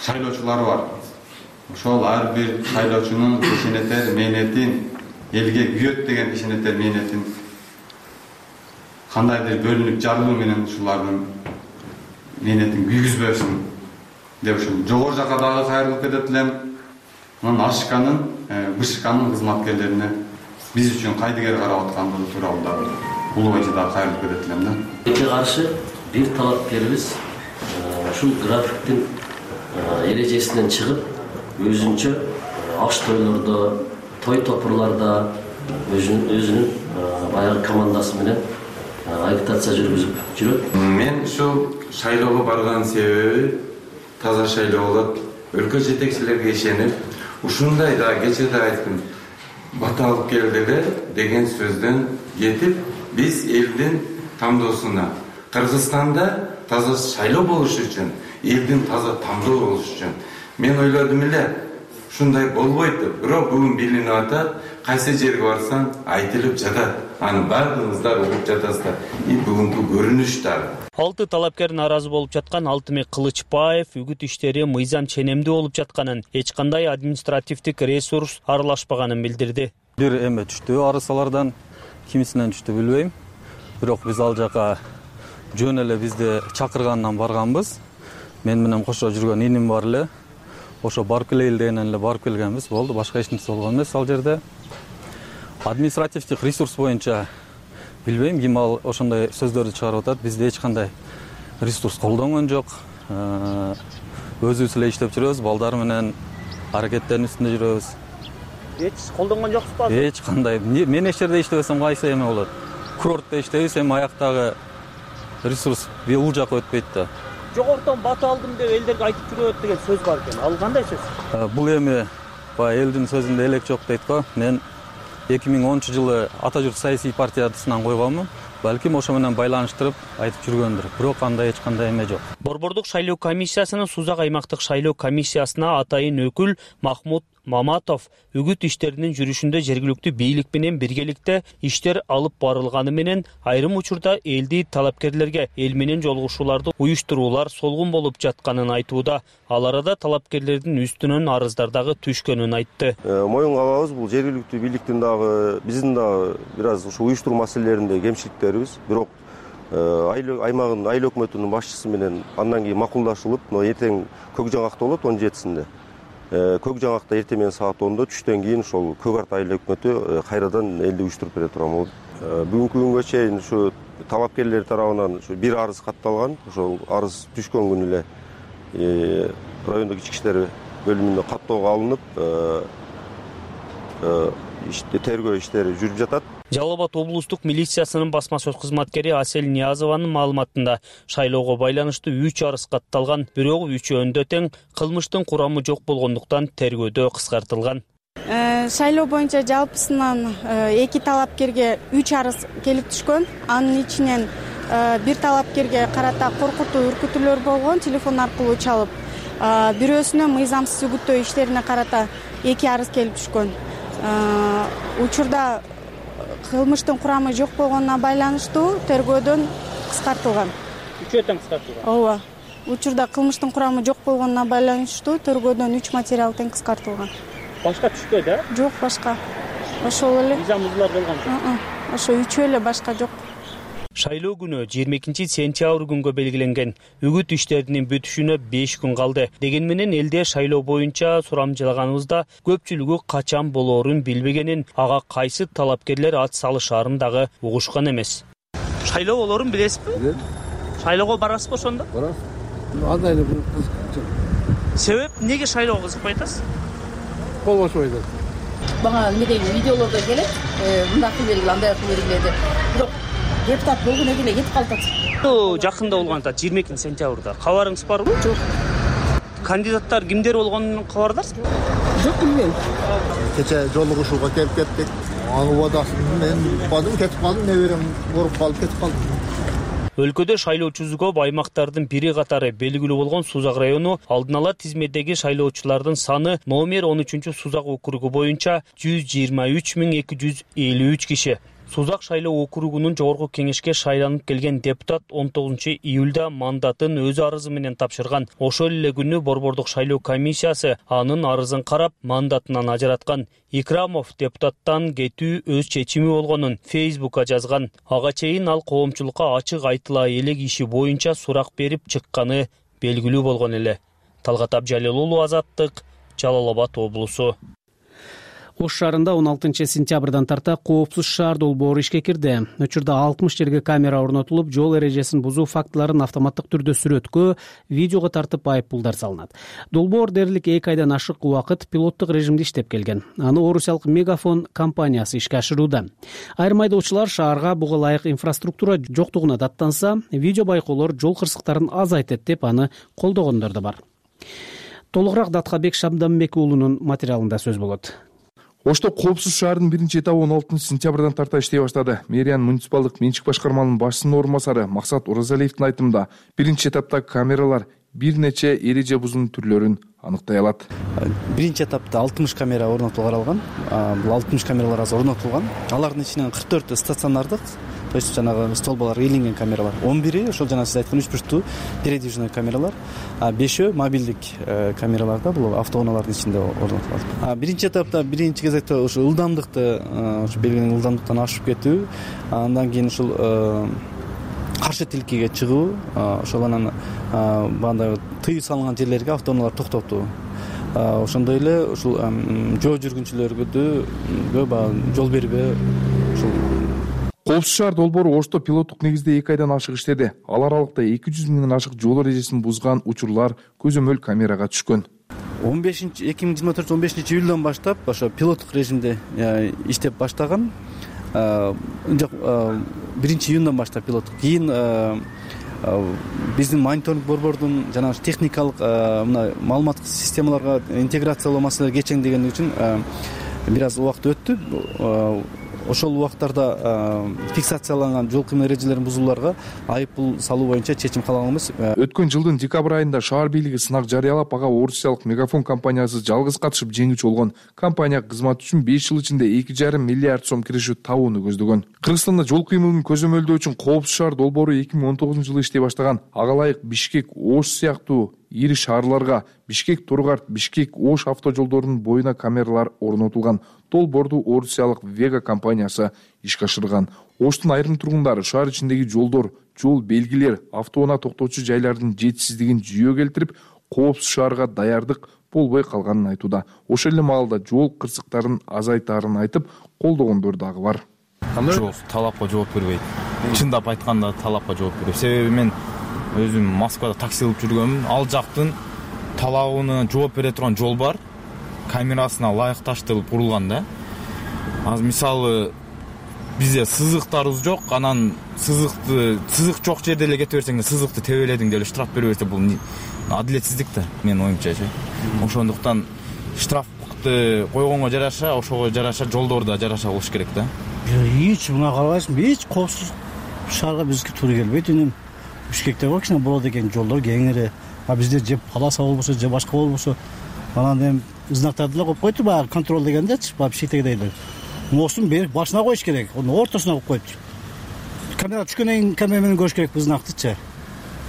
шайлоочулар бар. Ошол ар бир шайлоочунун ишенетер мээнетин, элге күйөт деген ишенетер мээнетин кандайдыр бөлүнүп жарылуу менен ушулардын мээнетин күйгүзбөсүн деп ушул жогору жака дагы кайрылып кетет элем. Анан Ашканын, Бышканын кызматкерлерине биз үчүн кайдыгер карап аткандыгы тууралуу дагы улубайча дагы кайрылып кетет элем да. Эки каршы бир талапкерибиз ушул графиктин эрежесинен чыгып, өзүнчө аш тойлордо, той топурларда өзүнүн баягы командасы менен агитация жүргүзүп жүрөт. Мен ушул шайлоого барган себеби таза шайлоо болот. Өлкө жетекчилерге ишенип, ушундай да кечээ да айттым. Бата алып келдилер деген сөздөн кетип, биз элдин тандоосуна, Кыргызстанда таза шайлоо болуш үчүн, элдин таза тандоо болуш үчүн мен ойлодум эле, ушундай болбойт деп. Бирок бүгүн билинип атат, кайсы жерге барсаң айтылып жатат. Аны бардыгыңыздар угуп жатасыздар. И бүгүнкү көрүнүш дагы. Алты талапкер нааразы болуп жаткан Алтымек Кылычбаев үгүт иштери мыйзам ченемдүү болуп жатканын, эч кандай административдик ресурс аралашпаганын билдирди. Бир эме түштү арысалардан, кимисинен түштү билбейм. Бирок биз ал жака жөн эле бизди чакыргандан барганбыз. Мен менен кошо жүргөн иним бар эле. ошо барып келели дегенден эле барып келгенбиз, болду, башка эч нерсе болгон эмес. Ал жерде административдик ресурс боюнча билбейм ким ал ошондой сөздөрдү чыгарып атат. Бизде эч кандай ресурс колдонгон жок. Өзүбүз эле иштеп жүрөбүз, балдар менен аракеттердин үстүндө жүрөбүз. Эч колдонгон жоксузбу? Эч кандай. Мен эч жерде иштебесем кайсы эме болот? Курортто иштейбиз, эми аяктагы ресурс бул жака өтпөйт да. Жогорудон бата алдым деп элдерге айтып жүрөт деген сөз бар экен. Ал кандай сөз? Бул эми баягы элдин сөзүндө элек жок дейт го. Мен эки миң онунчу жылы Ата журт саясий партиясынан койгонмун. Балким ошо менен байланыштырып айтып жүргөндүр. Бирок андай эч кандай эме жок. Борбордук шайлоо комиссиясынын Сузак аймактык шайлоо комиссиясына атайын өкүл Махмут Маматов үгүт иштеринин жүрүшүндө жергиликтүү бийлик менен биргеликте иштер алып барылганы менен айрым учурда элди талапкерлерге эл менен жолугушууларды уюштуруулар солгун болуп жатканын айтууда. Ал арада талапкерлердин үстүнөн арыздар дагы түшкөнүн айтты. Моюнга алабыз, бул жергиликтүү бийликтин дагы биздин дагы бир аз ушу уюштуруу маселелеринде кемчиликтерибиз. Бирок аймагын айыл өкмөтүнүн башчысы менен андан кийин макулдашылып, эртең Көк Жаңакта болот он жетисинде. Көк Жаңакта эртең менен саат ондо түштөн кийин ошол Көк Арт айыл өкмөтү кайрадан элди уюштуруп бере турам. Бүгүнкү күнгө чейин ушу талапкерлер тарабынан ушу бир арыз катталган. Ошол арыз түшкөн күнү эле райондук ички иштер бөлүмүнө каттоого алынып, тергөө иштери жүрүп жатат. Жалал Абад облустук милициясынын басма сөз кызматкери Асель Ниязованын маалыматында шайлоого байланыштуу үч арыз катталган, бирок үчөөндө тең кылмыштын курамы жок болгондуктан тергөөдө кыскартылган. Шайлоо боюнча жалпысынан эки талапкерге үч арыз келип түшкөн. Анын ичинен бир талапкерге карата коркутуу, үркүтүүлөр болгон, телефон аркылуу чалып. Бирөөсүнө мыйзамсыз үгүттөө иштерине карата эки арыз келип түшкөн. Учурда кылмыштын курамы жок болгонуна байланыштуу тергөөдөн кыскартылган. Үчөө тең кыскартылган. Ооба. Учурда кылмыштын курамы жок болгонуна байланыштуу тергөөдөн үч материал тең кыскартылган. Башка түшпөдү, э? Жок, башка. Ошол эле. Мыйзам бузуулар болгон. Ошо үчөө эле, башка жок. Шайлоо күнү жыйырма экинчи сентябрь күнгө белгиленген. Үгүт иштеринин бүтүшүнө беш күн калды. Деген менен элде шайлоо боюнча сурамжылаганыбызда көпчүлүгү качан болоорун билбегенин, ага кайсы талапкерлер ат салышаарын дагы угушкан эмес. Шайлоо болоорун билесизби? Билем. Шайлоого барасызбы ошондо? Барам. Андай эле кызык. Себеп эмнеге шайлоого кызыкпай атасыз? Болбошпойт. Бага эмедеги видеолордо келет, мындай кыл бергиле, андай кыл бергиле деп. Бирок депутат болгон эле кетип калып атат. Жакында болгон атат, жыйырма экинчи сентябрда. Кабарыңыз барбы? Жок. Кандидаттар кимдер болгонун кабардарсызбы? Жок, билбейм. Кече жолугушууга келип кеттик. Аны убадасын мен бадым кетип калдым, неберем коруп калып кетип калдым. Өлкөдө шайлоочусу көп аймактардын бири катары белгилүү болгон Сузак району алдын ала тизмедеги шайлоочулардын саны номер он үчүнчү Сузак округу боюнча жүз жыйырма үч миң эки жүз элүү үч киши. Сузак шайлоо округунун жогорку кеңешке шайланып келген депутат он тогузунчу июлда мандатын өз арызы менен тапшырган. Ошол эле күнү борбордук шайлоо комиссиясы анын арызын карап мандатынан ажыраткан. Икрамов депутаттан кетүү өз чечими болгонун Фейсбукка жазган. Ага чейин ал коомчулукка ачык айтыла элек иши боюнча сурак берип чыкканы белгилүү болгон эле. Талгат Абжалил уулу, Азаттык, Жалал Абад облусу. Ош шаарында он алтынчы сентябрдан тарта коопсуз шаар долбоору ишке кирди. Учурда алтымыш жерге камера орнотулуп, жол эрежесин бузуу фактыларын автоматтык түрдө сүрөткө, видеого тартып айыппулдар салынат. Долбоор дээрлик эки айдан ашык убакыт пилоттук режимде иштеп келген. Аны орусиялык Мегафон компаниясы ишке ашырууда. Айрым айдоочулар шаарга буга ылайык инфраструктура жоктугуна даттанса, видео байкоолор жол кырсыктарын азайтат деп аны колдогондор да бар. Толугураак Даткабек Шабданбек уулунун материалында сөз болот. Ошто коопсуз шаардын биринчи этабы он алтынчы сентябрдан тарта иштей баштады. Мэриянын муниципалдык менчик башкармалынын башчысынын орун басары Максат Оразалиевдин айтымында биринчи этапта камералар бир нече эреже бузуунун түрлөрүн аныктай алат. Биринчи этапта алтымыш камера орнотууга каралган. Бул алтымыш камералар азыр орнотулган. Алардын ичинен кырк төртү стационардык, то есть жанагы столбаларга ийленген камералар. он бири ошол жана сиз айткан үч бурчтуу передвижный камералар, а бешөө мобилдик камераларда, бул автоунаалардын ичинде орнотулат. Биринчи этапта биринчи кезекте ошо ылдамдыкты, ошо белгиленген ылдамдыктан ашып кетүү, андан кийин ушул каршы тилкеге чыгуу, ошол анан бандай тыюу салынган жерлерге автоунаалар токтотуу. ошондой эле ушул жөө жүргүнчүлөргө баягы жол бербөө ушул. Коопсуз шаар долбоору Ошто пилоттук негизде эки айдан ашык иштеди. Ал аралыкта эки жүз миңден ашык жол эрежесин бузган учурлар көзөмөл камерага түшкөн. он бешинчи эки миң жыйырма төртүнчү он бешинчи июлдан баштап ошо пилоттук режимде иштеп баштаган. Биринчи июндан баштап пилоттук. Кийин биздин мониторинг борбордун жана техникалык мына маалыматтык системаларга интеграциялоо маселелери кечеңдегени үчүн бир аз убакыт өттү. Ошол убакыттарда фиксацияланган жол кыймыл эрежелерин бузууларга айып пул салуу боюнча чечим кабыл алганбыз. Өткөн жылдын декабрь айында шаар бийлиги сынак жарыялап, ага орусиялык Мегафон компаниясы жалгыз катышып жеңүүчү болгон. Компания кызмат үчүн беш жыл ичинде эки жарым миллиард сом киришүү табууну көздөгөн. Кыргызстанда жол кыймылын көзөмөлдөө үчүн коопсуз шаар долбоору эки миң он тогузунчу жылы иштей баштаган. Ага ылайык Бишкек, Ош сыяктуу ири шаарларга Бишкек, Тургарт, Бишкек, Ош автожолдорунун боюна камералар орнотулган. Долбоорду орусиялык Вега компаниясы ишке ашырган. Оштун айрым тургундары шаар ичиндеги жолдор, жол белгилер, автоунаа токтоочу жайлардын жетишсиздигин жүйө келтирип, коопсуз шаарга даярдык болбой калганын айтууда. Ошол эле маалда жол кырсыктарын азайтаарын айтып, колдогондор дагы бар. Жол талапка жооп бербейт. Чындап айтканда талапка жооп бербейт. Себеби мен өзүм Москвада такси кылып жүргөмүн. Ал жактын талабына жооп бере турган жол бар. Камерасына ылайыкташтырылып курулган да. Азыр мисалы бизде сызыктарыбыз жок, анан сызыкты сызык жок жерде эле кетип берсең, сызыкты тебеледиң деп эле штраф бере берсе, бул адилетсиздик да, менин оюмчачы. Ошондуктан штрафты койгонго жараша, ошого жараша жолдорду жараша болуш керек да. Эч мына карабайсыңбы, эч коопсуз шаарга бизге туура келбейт. Үнүм Бишкекте бар кичине болот экен, жолдор кеңири. А бизде же полоса болбосо, же башка болбосо, анан эми знактарды эле коюп койтур, баягы контроль дегендечи, баягы Бишкектегидей. Мостун берип башына коюш керек, onu ортосуна коюп коюптур. Камера түшкөндөн кийин камера менен көрүш керек знактычы.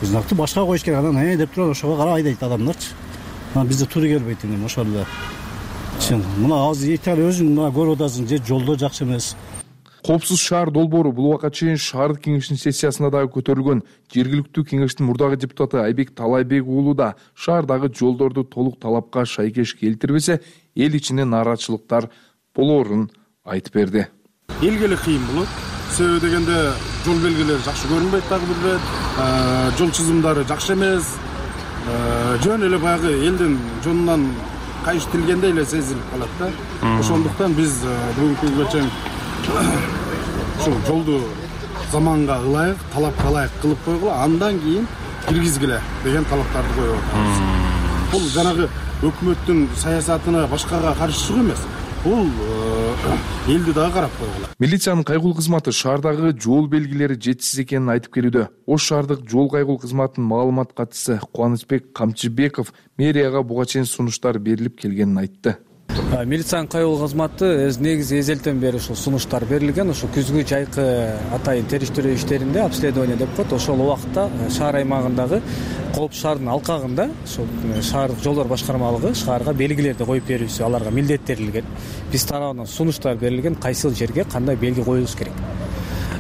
Знакты башка коюш керек, анан э деп туруп ошого карап айдайт адамдарчы. Анан бизде туура келбейт эми ошол эле. Чын, мына азыр Италия өзүң мына көрүп атасың, же жолдор жакшы эмес. Коопсуз шаар долбоору бул убакка чейин шаардык кеңештин сессиясында дагы көтөрүлгөн. Жергиликтүү кеңештин мурдагы депутаты Айбек Талайбек уулу да шаардагы жолдорду толук талапка шайкеш келтирбесе, эл ичинде нааразычылыктар болоорун айтып берди. Элге эле кыйын болот. Себеби дегенде жол белгилери жакшы көрүнбөйт дагы бир бет, жол чызымдары жакшы эмес. Жөн эле баягы элдин жонунан кайыштыргендей эле сезилип калат да. Ошондуктан биз бүгүнкү күнгө чейин ушул жолду заманга ылайык, талапка ылайык кылып койгула, андан кийин киргизгиле деген талаптарды коюп атабыз. Бул жанагы өкмөттүн саясатына башкага каршы чыгуу эмес. Бул элди дагы карап койгула. Милициянын кайгул кызматы шаардагы жол белгилери жетишсиз экенин айтып келүүдө. Ош шаардык жол кайгул кызматынын маалымат катчысы Кубанычбек Камчыбеков мэрияга буга чейин сунуштар берилип келгенин айтты. Милициянын кайгыл кызматы негизи эзелтен бери ушул сунуштар берилген. Ошо күзгү жайкы атайын териштирүү иштеринде обследование деп коет. Ошол убакытта шаар аймагындагы коопсуз шаардын алкагында ошол шаардык жолдор башкармалыгы шаарга белгилерди коюп берүүсү аларга милдеттелинген. Биз тарабынан сунуштар берилген, кайсыл жерге кандай белги коюлуш керек.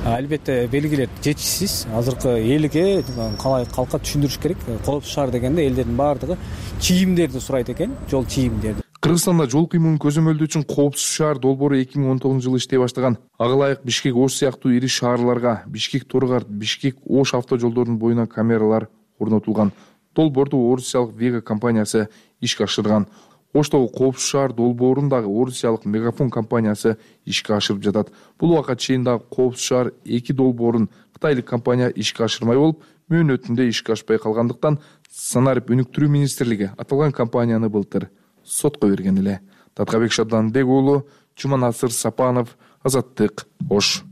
Албетте белгилер жетишсиз. Азыркы элге калай калка түшүндүрүш керек. Коопсуз шаар дегенде элдердин баардыгы чийимдерди сурайт экен, жол чийимдерди. Кыргызстанда жол кыймылын көзөмөлдөө үчүн коопсуз шаар долбоору эки миң он тогузунчу жылы иштей баштаган. Ага ылайык Бишкек, Ош сыяктуу ири шаарларга Бишкек, Тургарт, Бишкек, Ош автожолдорунун боюна камералар орнотулган. Долбоорду орусиялык Вега компаниясы ишке ашырган. Оштогу коопсуз шаар долбоорун дагы орусиялык Мегафон компаниясы ишке ашырып жатат. Бул убакка чейин дагы коопсуз шаар эки долбоорун кытайлык компания ишке ашырмай болуп, мөөнөтүндө ишке ашпай калгандыктан Санарип өнүктүрүү министрлиги аталган компанияны былтыр сотко берген эле. Таткабек Шабданбек уулу, Жуманасыр Сапанов, Азаттык, Ош.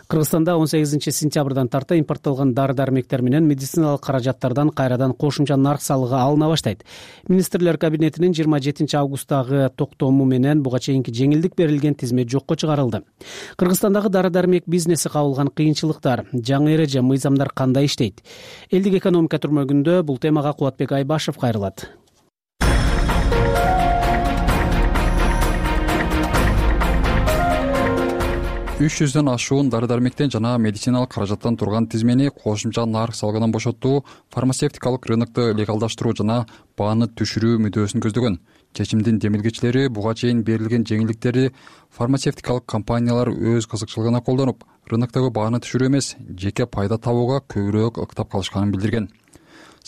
Кыргызстанда он сегизинчи сентябрдан тарта импорттолгон дары-дармектер менен медициналык каражаттардан кайрадан кошумча нарк салыгы алына баштайт. Министрлер кабинетинин жыйырма жетинчи августтагы токтому менен буга чейинки жеңилдик берилген тизмет жокко чыгарылды. Кыргызстандагы дары-дармек бизнеси кабылган кыйынчылыктар, жаңы эреже, мыйзамдар кандай иштейт? Элдик экономика түрмөгүндө бул темага Кубатбек Айбашев кайрылат. үч жүздөн ашуун дары дармектен жана медициналык каражаттан турган тизмени кошумча нарк салыгынан бошотуу, фармацевтикалык рынокту легалдаштыруу жана бааны түшүрүү мүдөөсүн көздөгөн. Чечимдин демилгечилери буга чейин берилген жеңилдиктерди фармацевтикалык компаниялар өз кызыкчылыгына колдонуп, рыноктогу бааны түшүрүү эмес, жеке пайда табууга көбүрөөк ыктап калышканын билдирген.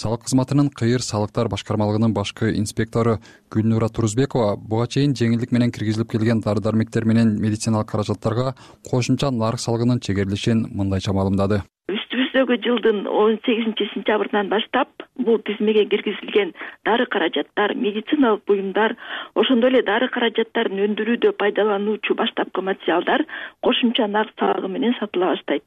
Салык кызматынын кыйыр салыктар башкармалыгынын башкы инспектору Гүлнура Турузбекова буга чейин жеңилдик менен киргизилип келген дары дармектер менен медициналык каражаттарга кошумча нарк салыгынын чегерилишин мындайча маалымдады. Үстүбүздөгү жылдын он сегизинчи сентябрынан баштап бул тизмеге киргизилген дары каражаттар, медициналык буюмдар, ошондой эле дары каражаттарын өндүрүүдө пайдалануучу баштапкы материалдар кошумча нарк салыгы менен сатыла баштайт.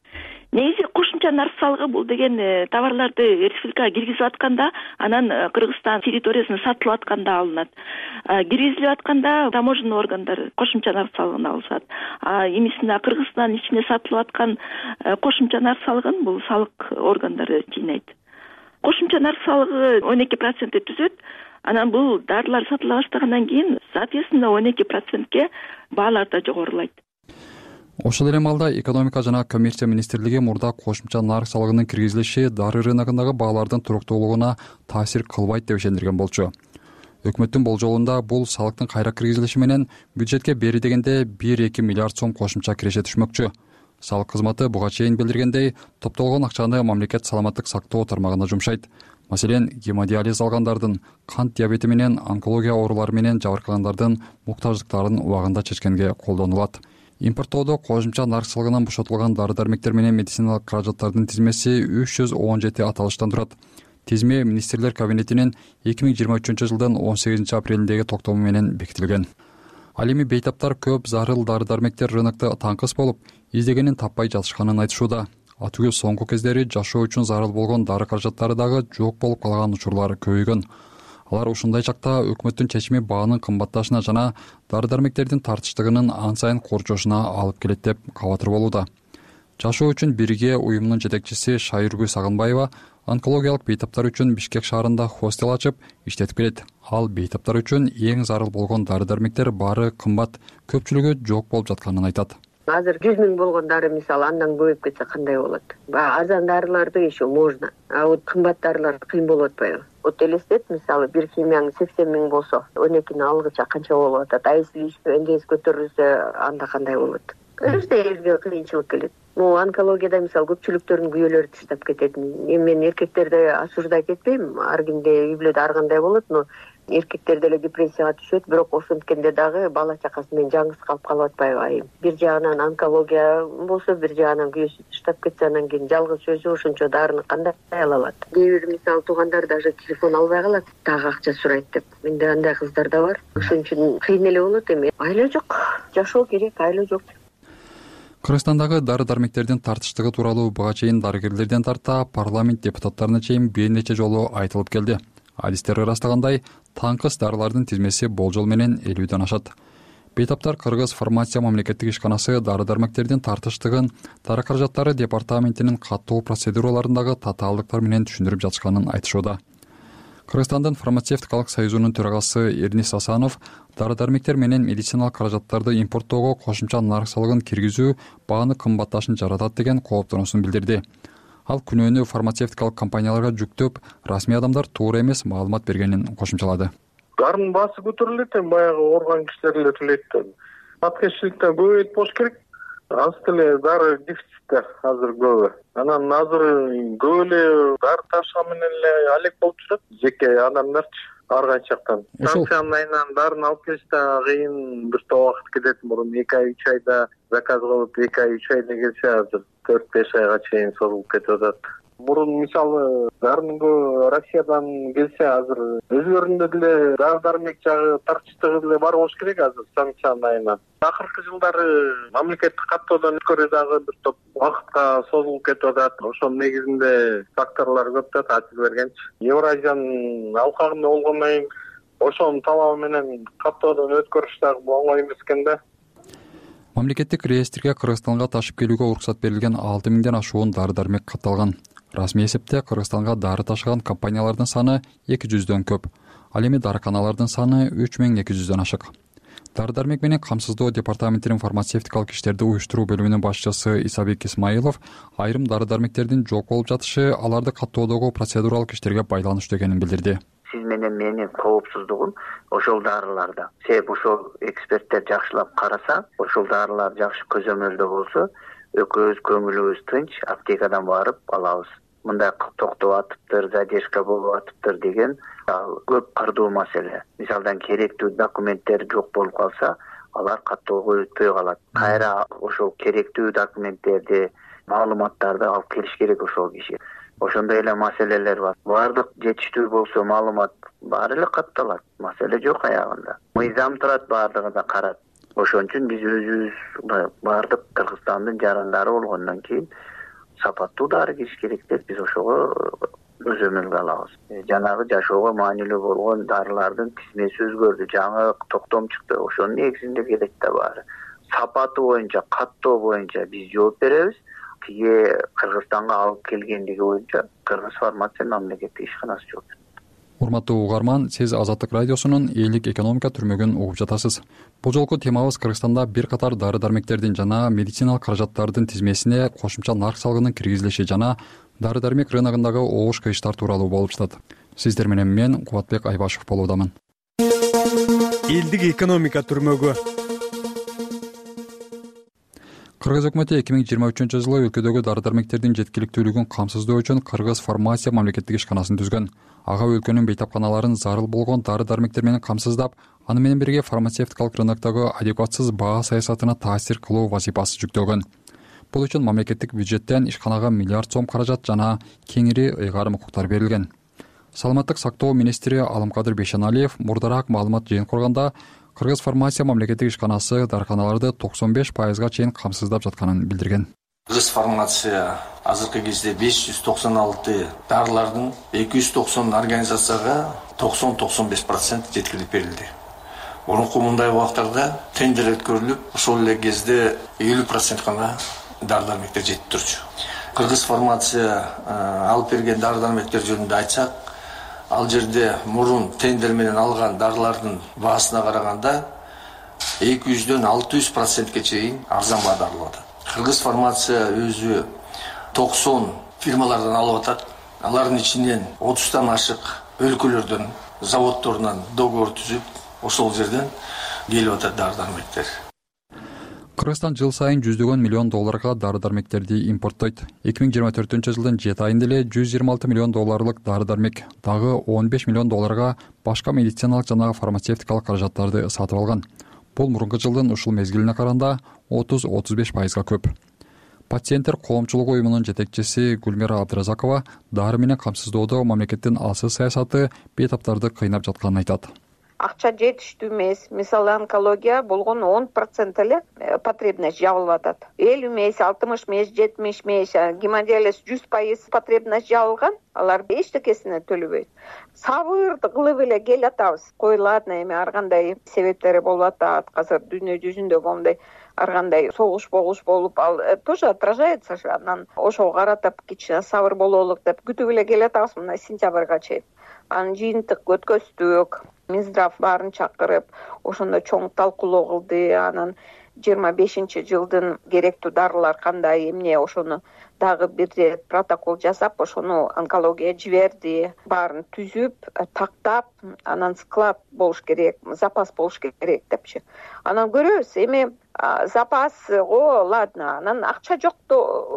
Негизи кошумча нарк салыгы бул деген товарларды республикага киргизип атканда, анан Кыргызстан территориясына сатылып атканда алынат. Киргизилип атканда таможенный органдар кошумча нарк салыгын алышат. А эмисине Кыргызстан ичине сатылып аткан кошумча нарк салыгын бул салык органдары жыйнайт. Кошумча нарк салыгы он эки процентти түзөт. Анан бул дарылар сатыла баштагандан кийин, соответственно, он эки процентке баалар да жогорулайт. Ошол эле маалда экономика жана коммерция министрлиги мурда кошумча нарк салыгынын киргизилиши дары рыногундагы баалардын туруктуулугуна таасир кылбайт деп ишендирген болчу. Өкмөттүн болжолунда бул салыктын кайра киргизилиши менен бюджетке бери дегенде бир эки миллиард сом кошумча киреше түшмөкчү. Салык кызматы буга чейин билдиргендей, топтолгон акчаны мамлекет саламаттык сактоо тармагына жумшайт. Маселен, гемодиализ алгандардын, кант диабети менен онкология оорулары менен жабыркагандардын муктаждыктарын убагында чечкенге колдонулат. Импорттоодо кошумча нарк салыгынан бошотулган дары дармектер менен медициналык каражаттардын тизмеси үч жүз он жети аталыштан турат. Тизме министрлер кабинетинин эки миң жыйырма үчүнчү жылдын он сегизинчи апрелиндеги токтому менен бекитилген. Ал эми бейтаптар көп зарыл дары дармектер рынокто таңкыс болуп, издегенин таппай жатышканын айтышууда. Атүгү соңку кездери жашоо үчүн зарыл болгон дары каражаттары дагы жок болуп калган учурлар көбөйгөн. Алар ушундай чакта өкмөттүн чечими баанын кымбатташына жана дары дармектердин тартыштыгынын ан сайын корчошуна алып келет деп кабатыр болууда. Жашоо үчүн бирге уюмунун жетекчиси Шайыргүл Сагынбаева онкологиялык бейтаптар үчүн Бишкек шаарында хостел ачып иштетип келет. Ал бейтаптар үчүн эң зарыл болгон дары дармектер баары кымбат, көпчүлүгү жок болуп жатканын айтат. Азыр жүз миң болгон дары мисалы андан көбөйүп кетсе кандай болот? Арзан дарыларды еще можно, а вот кымбат дарылар кыйын болуп атпайбы? Вот элестет, мисалы бир химияң сексен миң болсо, он экини алгыча канча болуп атат? А если эндес көтөрүлсө, анда кандай болот? Өзү элге кыйынчылык келет. Могу онкологияда мисалы көпчүлүктөрдүн күйөөлөрү таштап кетет. Эми мен эркектерди осуждай кетпейм, ар кимде үй бүлөдө ар кандай болот, но эркектер деле депрессияга түшөт, бирок ошенткенде дагы бала чакасы менен жаңгыз калып калып атпайбы айым? Бир жагынан онкология болсо, бир жагынан күйөөсү таштап кетсе, анан кийин жалгыз өзү ошончо дарыны кандай ала алат? Кээ бир мисалы туугандар даже телефон албай калат, дагы акча сурайт деп. Менде андай кыздар да бар. Ошон үчүн кыйын эле болот эми. Айла жок, жашоо керек, айла жок. Кыргызстандагы дары дармектердин тартыштыгы тууралуу буга чейин дарыгерлерден тарта парламент депутаттарына чейин бир нече жолу айтылып келди. Адистер ырастагандай, таңкыс дарылардын тизмеси болжол менен элүүдөн ашат. Бейтаптар Кыргыз фармация мамлекеттик ишканасы дары дармектердин тартыштыгын дары каражаттары департаментинин каттуу процедураларындагы татаалдыктар менен түшүндүрүп жатышканын айтышууда. Кыргызстандын фармацевтикалык союзунун төрагасы Эрнис Асанов дары дармектер менен медициналык каражаттарды импорттоого кошумча нарк салыгын киргизүү бааны кымбатташын жаратат деген кооптонуусун билдирди. Ал күнөөнү фармацевтикалык компанияларга жүктөп, расмий адамдар туура эмес маалымат бергенин кошумчалады. Дарынын баасы көтөрүлөт, баягы ооруган кишилер эле төлөйт. Аткечиликтен көбөйт болуш керек. Аз деле дары дефицитте азыр көбү. Анан азыр көп эле дары ташыган менен эле алек болуп жүрөт. Жеке адамдарчы ар кайсы жактан. Станциянын айынан дарын алып келиште кыйын бир топ убакыт кетет. Мурун эки ай үч айда заказ кылып, эки ай үч айда келсе, азыр төрт беш айга чейин созулуп кетип атат. Мурун мисалы дарынын Россиядан келсе, азыр өзүлөрүндө деле дары дармек жагы тартыштыгы деле бар болуш керек азыр станциянын айынан. Акыркы жылдары мамлекеттик каттоодон өткөрүү дагы бир топ убакытка созулуп кетип атат. Ошонун негизинде факторлор көп да таасир бергенчи. Евразиянын алкагында болгондон кийин ошонун талабы менен каттоодон өткөрүш дагы оңой эмес экен да. Мамлекеттик реестрге Кыргызстанга ташып келүүгө уруксат берилген алты миңден ашуун дары дармек катталган. Расмий эсепте Кыргызстанга дары ташыган компаниялардын саны эки жүздөн көп. Ал эми дарыканалардын саны үч миң эки жүздөн ашык. Дары дармек менен камсыздоо департаментинин фармацевтикалык иштерди уюштуруу бөлүмүнүн башчысы Исабек Исмаилов айрым дары дармектердин жок болуп жатышы аларды каттоодогу процедуралык иштерге байланыштуу экенин билдирди. Сиз менен менин коопсуздугум ошол дарыларда. Себеби ошол эксперттер жакшылап караса, ошол дарылар жакшы көзөмөлдө болсо, экөөбүз көңүлүбүз тынч аптекадан барып алабыз. Мындай токтоп атыптыр, задержка болуп атыптыр деген көп кырдуу маселе. Мисалдан керектүү документтер жок болуп калса, алар каттоого өтпөй калат. Кайра ошол керектүү документтерди, маалыматтарды алып келиш керек ошол киши. Ошондой эле маселелер бар. Баардык жетиштүү болсо маалымат баары эле катталат. Маселе жок аягында. Мыйзам турат, баардыгына карат. Ошон үчүн биз өзүбүз баардык Кыргызстандын жарандары болгондон кийин сапаттуу дары кириш керек деп биз ошого көзөмөлгө алабыз. Жанагы жашоого маанилүү болгон дарылардын тизмеси өзгөрдү, жаңы токтом чыкты. Ошонун негизинде келет да баары. Сапаты боюнча, каттоо боюнча биз жооп беребиз. Тиги Кыргызстанга алып келгендиги боюнча Кыргыз фармация мамлекеттик ишканасы жооп берет. Урматтуу угарман, сиз Азаттык радиосунун элдик экономика түрмөгүн угуп жатасыз. Бул жолку темабыз Кыргызстанда бир катар дары дармектердин жана медициналык каражаттардын тизмесине кошумча нарк салыгынын киргизилиши жана дары дармек рыногундагы огуш кыйыштар тууралуу болуп жатат. Сиздер менен мен Кубатбек Айбашев болуудамын. Элдик экономика түрмөгү. Кыргыз өкмөтү эки миң жыйырма үчүнчү жылы өлкөдөгү дары дармектердин жеткиликтүүлүгүн камсыздоо үчүн Кыргыз фармация мамлекеттик ишканасын түзгөн. Ага өлкөнүн бейтапканаларын зарыл болгон дары дармектер менен камсыздап, аны менен бирге фармацевтикалык рыноктогу адекватсыз баа саясатына таасир кылуу вазифасы жүктөлгөн. Бул үчүн мамлекеттик бюджеттен ишканага миллиард сом каражат жана кеңири ыйгарым укуктар берилген. Саламаттык сактоо министри Алымкадыр Бейшеналиев мурдараак маалымат жыйынтык курганда Кыргыз фармация мамлекеттик ишканасы дарыканаларды токсон беш пайызга чейин камсыздап жатканын билдирген. Кыргыз фармация азыркы кезде беш жүз токсон алты дарылардын эки жүз токсон организацияга токсон токсон беш процент жеткирип берилди. Мурунку мындай убактарда тендер өткөрүлүп, ошол эле кезде элүү процент гана дары дармектер жетип турчу. Кыргыз фармация алып берген дары дармектер жөнүндө айтсак, ал жерде мурун тендер менен алган дарылардын баасына караганда эки жүздөн алты жүз процентке чейин арзан баада алып атат. Кыргыз фармация өзү токсон фирмалардан алып атат. Алардын ичинен отуздан ашык өлкөлөрдөн, заводдорунан договор түзүп, ошол жерден келип атат дары дармектер. Кыргызстан жыл сайын жүздөгөн миллион долларга дары дармектерди импорттойт. эки миң жыйырма төртүнчү жылдын жети айында эле жүз жыйырма алты миллион долларлык дары дармек, дагы он беш миллион долларга башка медициналык жана фармацевтикалык каражаттарды сатып алган. Бул мурунку жылдын ушул мезгилине караганда отуз отуз беш пайызга көп. Пациенттер коомчулугу уюмунун жетекчиси Гүлмира Абдыразакова дары менен камсыздоодо мамлекеттин алсыз саясаты бейтаптарды кыйнап жатканын айтат. Акча жетиштүү эмес. Мисалы онкология болгон он процент эле потребность жабылып атат. элүү эмес, алтымыш эмес, жетимиш эмес, гемодиализ жүз пайыз потребность жабылган, алар эчтекесине төлөбөйт. Сабырды кылып эле келатабыз. Коюлат эми ар кандай себептери болуп атат. Азыр дүйнө жүзүндө моундай ар кандай согуш болгуш болуп, ал тоже отражается же. Анан ошого карата кичине сабыр бололук деп күтүп эле келатабыз мына сентябрга чейин. Анын жыйынтык өткөздүк. Минздрав баарын чакырып, ошондо чоң талкуулоо кылды. Анан жыйырма бешинчи жылдын керектүү дарылар кандай, эмне ошону дагы бир рет протокол жасап, ошону онкология жиберди. Баарын түзүп, тактап, анан склад болуш керек, запас болуш керек депчи. Анан көрөбүз, эми запас, о, ладно, анан акча жок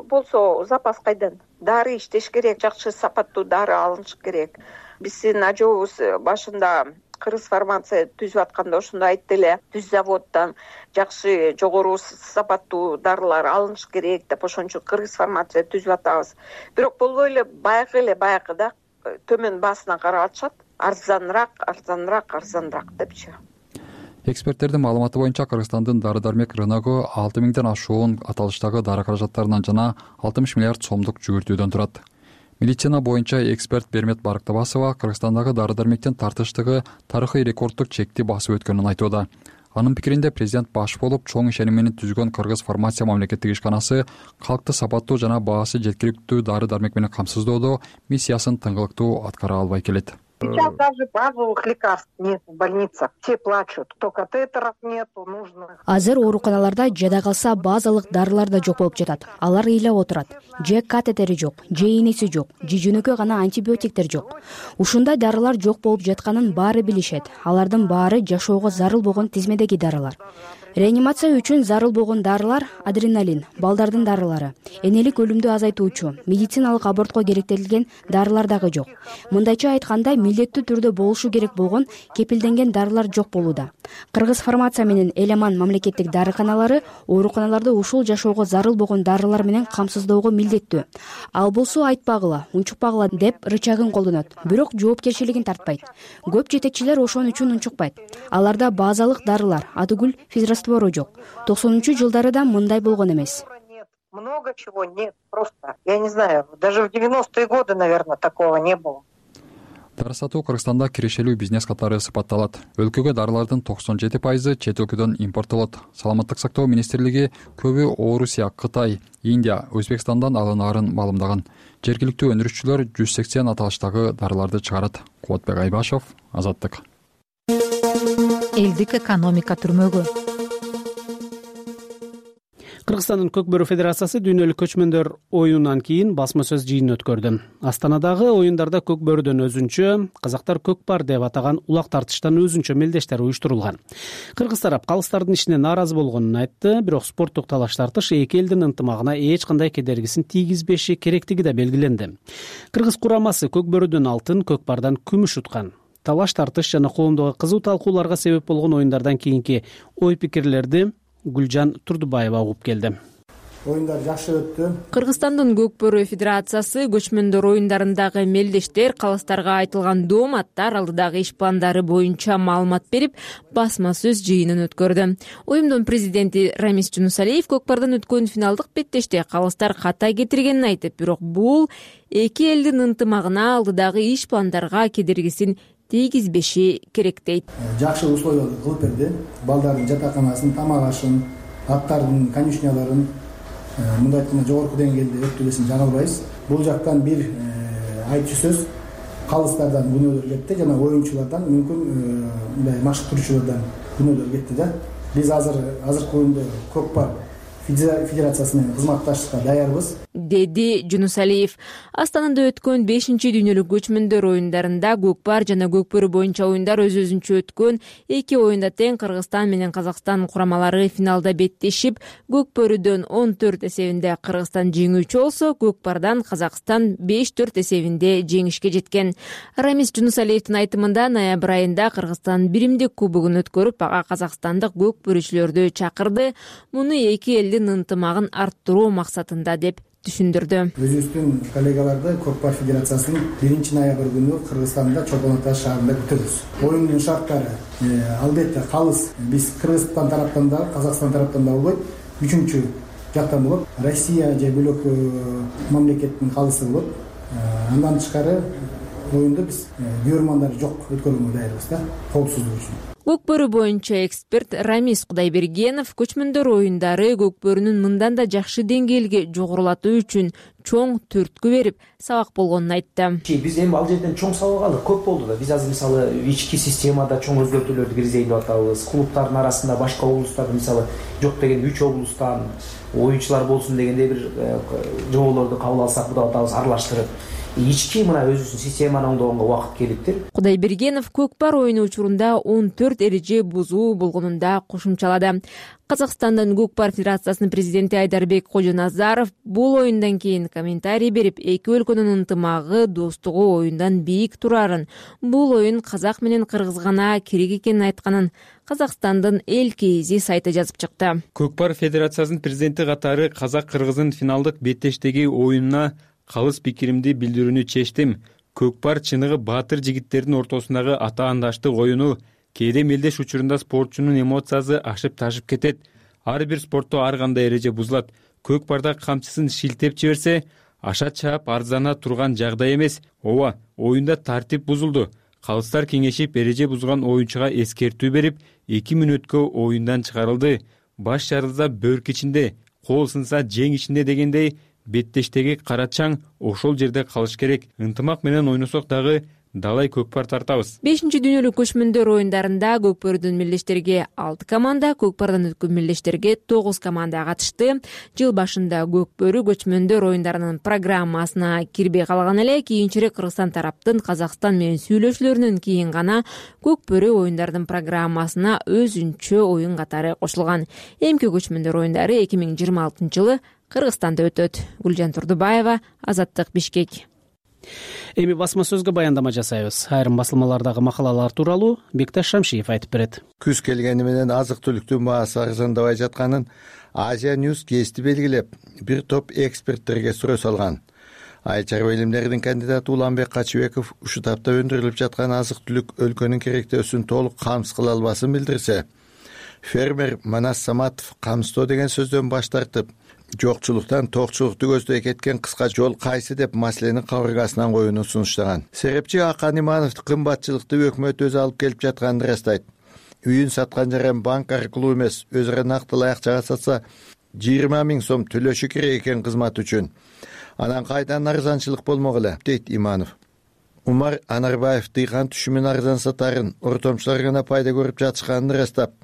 болсо запас кайдан? Дары иштеш керек, жакшы сапаттуу дары алыныш керек. Биздин ажообуз башында Кыргыз фармация түзүп атканда ошондо айтты эле, түз заводдон жакшы жогору сапаттуу дарылар алыныш керек деп, ошон үчүн Кыргыз фармация түзүп атабыз. Бирок болбой эле баягы эле баягыда төмөн баасына карап атышат. Арзаныраак, арзаныраак, арзаныраак депчи. Эксперттердин маалыматы боюнча Кыргызстандын дары дармек рыногу алты миңден ашуун аталыштагы дары каражаттарынан жана алтымыш миллиард сомдук жүгүртүүдөн турат. Медицина боюнча эксперт Бермет Барктабасова Кыргызстандагы дары дармектин тартыштыгы тарыхый рекорддук чекти басып өткөнүн айтууда. Анын пикиринде президент баш болуп чоң ишеним менен түзгөн Кыргыз фармация мамлекеттик ишканасы калкты сапаттуу жана баасы жеткиликтүү дары дармек менен камсыздоодо миссиясын тыңгылыктуу аткара албай келет. Сейчас даже базовых лекарств нет в больницах. Все плачут. То катетеров нету, нужно. Азыр ооруканаларда жада калса базалык дарылар да жок болуп жатат. Алар ыйлап отурат. Же катетери жок, же ийнеси жок, же жөнөкөй гана антибиотиктер жок. Ушундай дарылар жок болуп жатканын баары билишет. Алардын баары жашоого зарыл болгон тизмедеги дарылар. Реанимация үчүн зарыл болгон дарылар адреналин, балдардын дарылары, энелик өлүмдү азайтуучу, медициналык абортко керектелген дарылар дагы жок. Мындайча айтканда, милдеттүү түрдө болушу керек болгон кепилденген дарылар жок болууда. Кыргыз фармация менен Эламан мамлекеттик дарыканалары ооруканаларды ушул жашоого зарыл болгон дарылар менен камсыздоого милдеттүү. Ал болсо айтпагыла, унчукпагыла деп рычагын колдонот, бирок жоопкерчилигин тартпайт. Көп жетекчилер ошон үчүн унчукпайт. Аларда базалык дарылар, атүгүл физраствору жок. токсонунчу жылдары да мындай болгон эмес. Много чего нет, просто. Я не знаю, даже в девяностые годы, наверное, такого не было. Дары сатуу Кыргызстанда кирешелүү бизнес катары сыпатталат. Өлкөгө дарылардын токсон жети пайызы чет өлкөдөн импорттолот. Саламаттык сактоо министрлиги көбү Орусия, Кытай, Индия, Өзбекстандан алынаарын маалымдаган. Жергиликтүү өндүрүшчүлөр жүз сексен аталыштагы дарыларды чыгарат. Кубатбек Айбашев, Азаттык. Элдик экономика түрмөгү. Кыргызстандын Көкбөрү Федерациясы дүйнөлүк көчмөндөр оюнунан кийин басма сөз жыйынын өткөрдү. Астанадагы оюндарда Көкбөрүдөн өзүнчө, казактар көкпар деп атаган улак тартыштан өзүнчө мелдештер уюштурулган. Кыргыз тарап калыстардын ишине нааразы болгонун айтты, бирок спорттук талаш тартыш эки элдин ынтымагына эч кандай кедергисин тийгизбеши керектиги да белгиленди. Кыргыз курамасы Көкбөрүдөн алтын, көкпардан күмүш уткан. Талаш тартыш жана коомдогу кызуу талкууларга себеп болгон оюндардан кийинки ой пикирлерди Гүлжан Турдубаева угуп келди. Оюндар жакшы өттү. Кыргызстандын Көкбөрү Федерациясы көчмөндөр оюндарындагы мелдештер, калыстарга айтылган дооматтар алдыдагы иш пландары боюнча маалымат берип, басма сөз жыйынын өткөрдү. Оюмдун президенти Рамис Жунусалиев көкпардан өткөн финалдык беттеште калыстар ката кетиргенин айтып, бирок бул эки элдин ынтымагына алдыдагы иш пландарга кедергисин тийгизбеши керек дейт. Жакшы условияларды кылып берди. Балдардын жатаканасын, тамак ашын, аттардын конюшняларын мындай айтканда жогорку деңгээлде өттүрүүсүн жаңылбайбыз. Бул жактан бир айтчу сөз калыстардан күнөөлөр кетти жана оюнчулардан мүмкүн мындай машыктыруучулардан күнөөлөр кетти да. Биз азыр азыркы күндө көкпар федерациясы менен кызматташышка даярбыз, деди Жунусалиев. Астанада өткөн бешинчи дүйнөлүк көчмөндөр оюндарында көкпар жана көкбөрү боюнча оюндар өз өзүнчө өткөн. Эки оюнда тең Кыргызстан менен Казакстан курамалары финалда беттешип, көкбөрүдөн он төрт эсебинде Кыргызстан жеңүүчү болсо, көкпардан Казакстан беш төрт эсебинде жеңишке жеткен. Рамис Жунусалиевдин айтымында ноябрь айында Кыргызстан биримдик кубогун өткөрүп, ага казакстандык көкбөрүчүлөрдү чакырды. Муну эки элдин ынтымагын арттыруу максатында деп түшүндүрдү. Өзүбүздүн коллегаларды Көкпар Федерациясынын биринчи ноябрь күнү Кыргызстанда Чолпон Ата шаарында күтөбүз. Оюндун шарттары албетте калыс биз Кыргызстан тараптан да, Казакстан тараптан да болбойт. Үчүнчү жактан болот. Россия же бөлөк мамлекеттин калысы болот. Андан тышкары оюнду биз көрөрмандар жок өткөрүүгө даярбыз да, коопсуздук үчүн. Көкбөрү боюнча эксперт Рамис Кудайбергенов көчмөндөр оюндары көкбөрүнүн мындан да жакшы деңгээлге жогорулатуу үчүн чоң түрткү берип, сабак болгонун айтты. Биз эми ал жерден чоң сабак алдык, көп болду да. Биз азыр мисалы ички системада чоң өзгөртүүлөрдү киргизейин деп атабыз. Клубтардын арасында башка облустарда мисалы жок дегенде үч облустан оюнчулар болсун дегенде бир жоолорду кабыл алсак, буга атабыз аралаштырып ички мына өзүнүн системаны оңдогонго убакыт келиптир. Кудайбергенов көкпар оюну учурунда он төрт эреже бузуу болгонун да кошумчалады. Казакстандын Көкпар Федерациясынын президенти Айдарбек Кожоназаров бул оюндан кийин комментарий берип, эки өлкөнүн ынтымагы, достугу оюндан бийик турарын, бул оюн казак менен кыргыз гана керек экенин айтканын Казакстандын эл кейзи сайты жазып чыкты. Көкпар Федерациясынын президенти катары казак-кыргыздын финалдык беттештеги оюнуна калыс пикиримди билдирүүнү чечтим. Көкпар чыныгы баатыр жигиттердин ортосундагы атаандаштык оюну. Кээде мелдеш учурунда спортчунун эмоциясы ашып ташып кетет. Ар бир спортто ар кандай эреже бузулат. Көкпарда камчысын шилтеп жиберсе, аша чаап арзана турган жагдай эмес. Ооба, оюнда тартип бузулду. Калыстар кеңешип эреже бузган оюнчуга эскертүү берип, эки мүнөткө оюндан чыгарылды. Баш жарылса бөрк ичинде, кол сынса жең ичинде дегендей беттештеги карачаң ошол жерде калыш керек. Ынтымак менен ойносок дагы далай көкпар тартабыз. бешинчи дүйнөлүк көчмөндөр оюндарында Көкпөрдөн мелдештерге алты команда, Көкпардан өткөн мелдештерге тогуз команда катышты. Жыл башында Көкпөрү көчмөндөр оюндарынын программасына кирбей калган эле, кийинчерээк Кыргызстан тараптын Казакстан менен сүйлөшүүлөрүнөн кийин гана Көкпөрү оюндардын программасына өзүнчө оюн катары кошулган. Эмки көчмөндөр оюндары эки миң жыйырма алтынчы жылы Кыргызстанда өтөт. Гүлжан Турдубаева, Азаттык, Бишкек. Эми басма сөзгө баяндама жасайбыз. Айрым басылмалардагы макалалар тууралуу Бекташ Шамшиев айтып берет. Күз келгени менен азык түлүктүн баасы арзандабай жатканын Азия Ньюс гезити белгилеп, бир топ эксперттерге суроо салган. Айыл чарба илимдеринин кандидаты Уланбек Качыбеков ушул тапта өндүрүлүп жаткан азык түлүк өлкөнүн керектөөсүн толук камсыз кыла албасын билдирсе, фермер Манас Саматов камсыздоо деген сөздөн баш тартып, жокчулуктан токчулукту көздөй кеткен кыска жол кайсы деп маселени кабыргасынан коюуну сунуштаган. Серепчи Акан Иманов кымбатчылыкты өкмөт өзү алып келип жатканын ырастайт. Үйүн саткан жаран банк аркылуу эмес, өзүрө нактылай акчага сатса жыйырма миң сом төлөшү керек экен кызмат үчүн. Анан кайдан арзанчылык болмок эле, дейт Иманов. Умар Анарбаев дыйкан түшүмүн арзан сатарын, ортомчулар гана пайда көрүп жатышканын ырастап,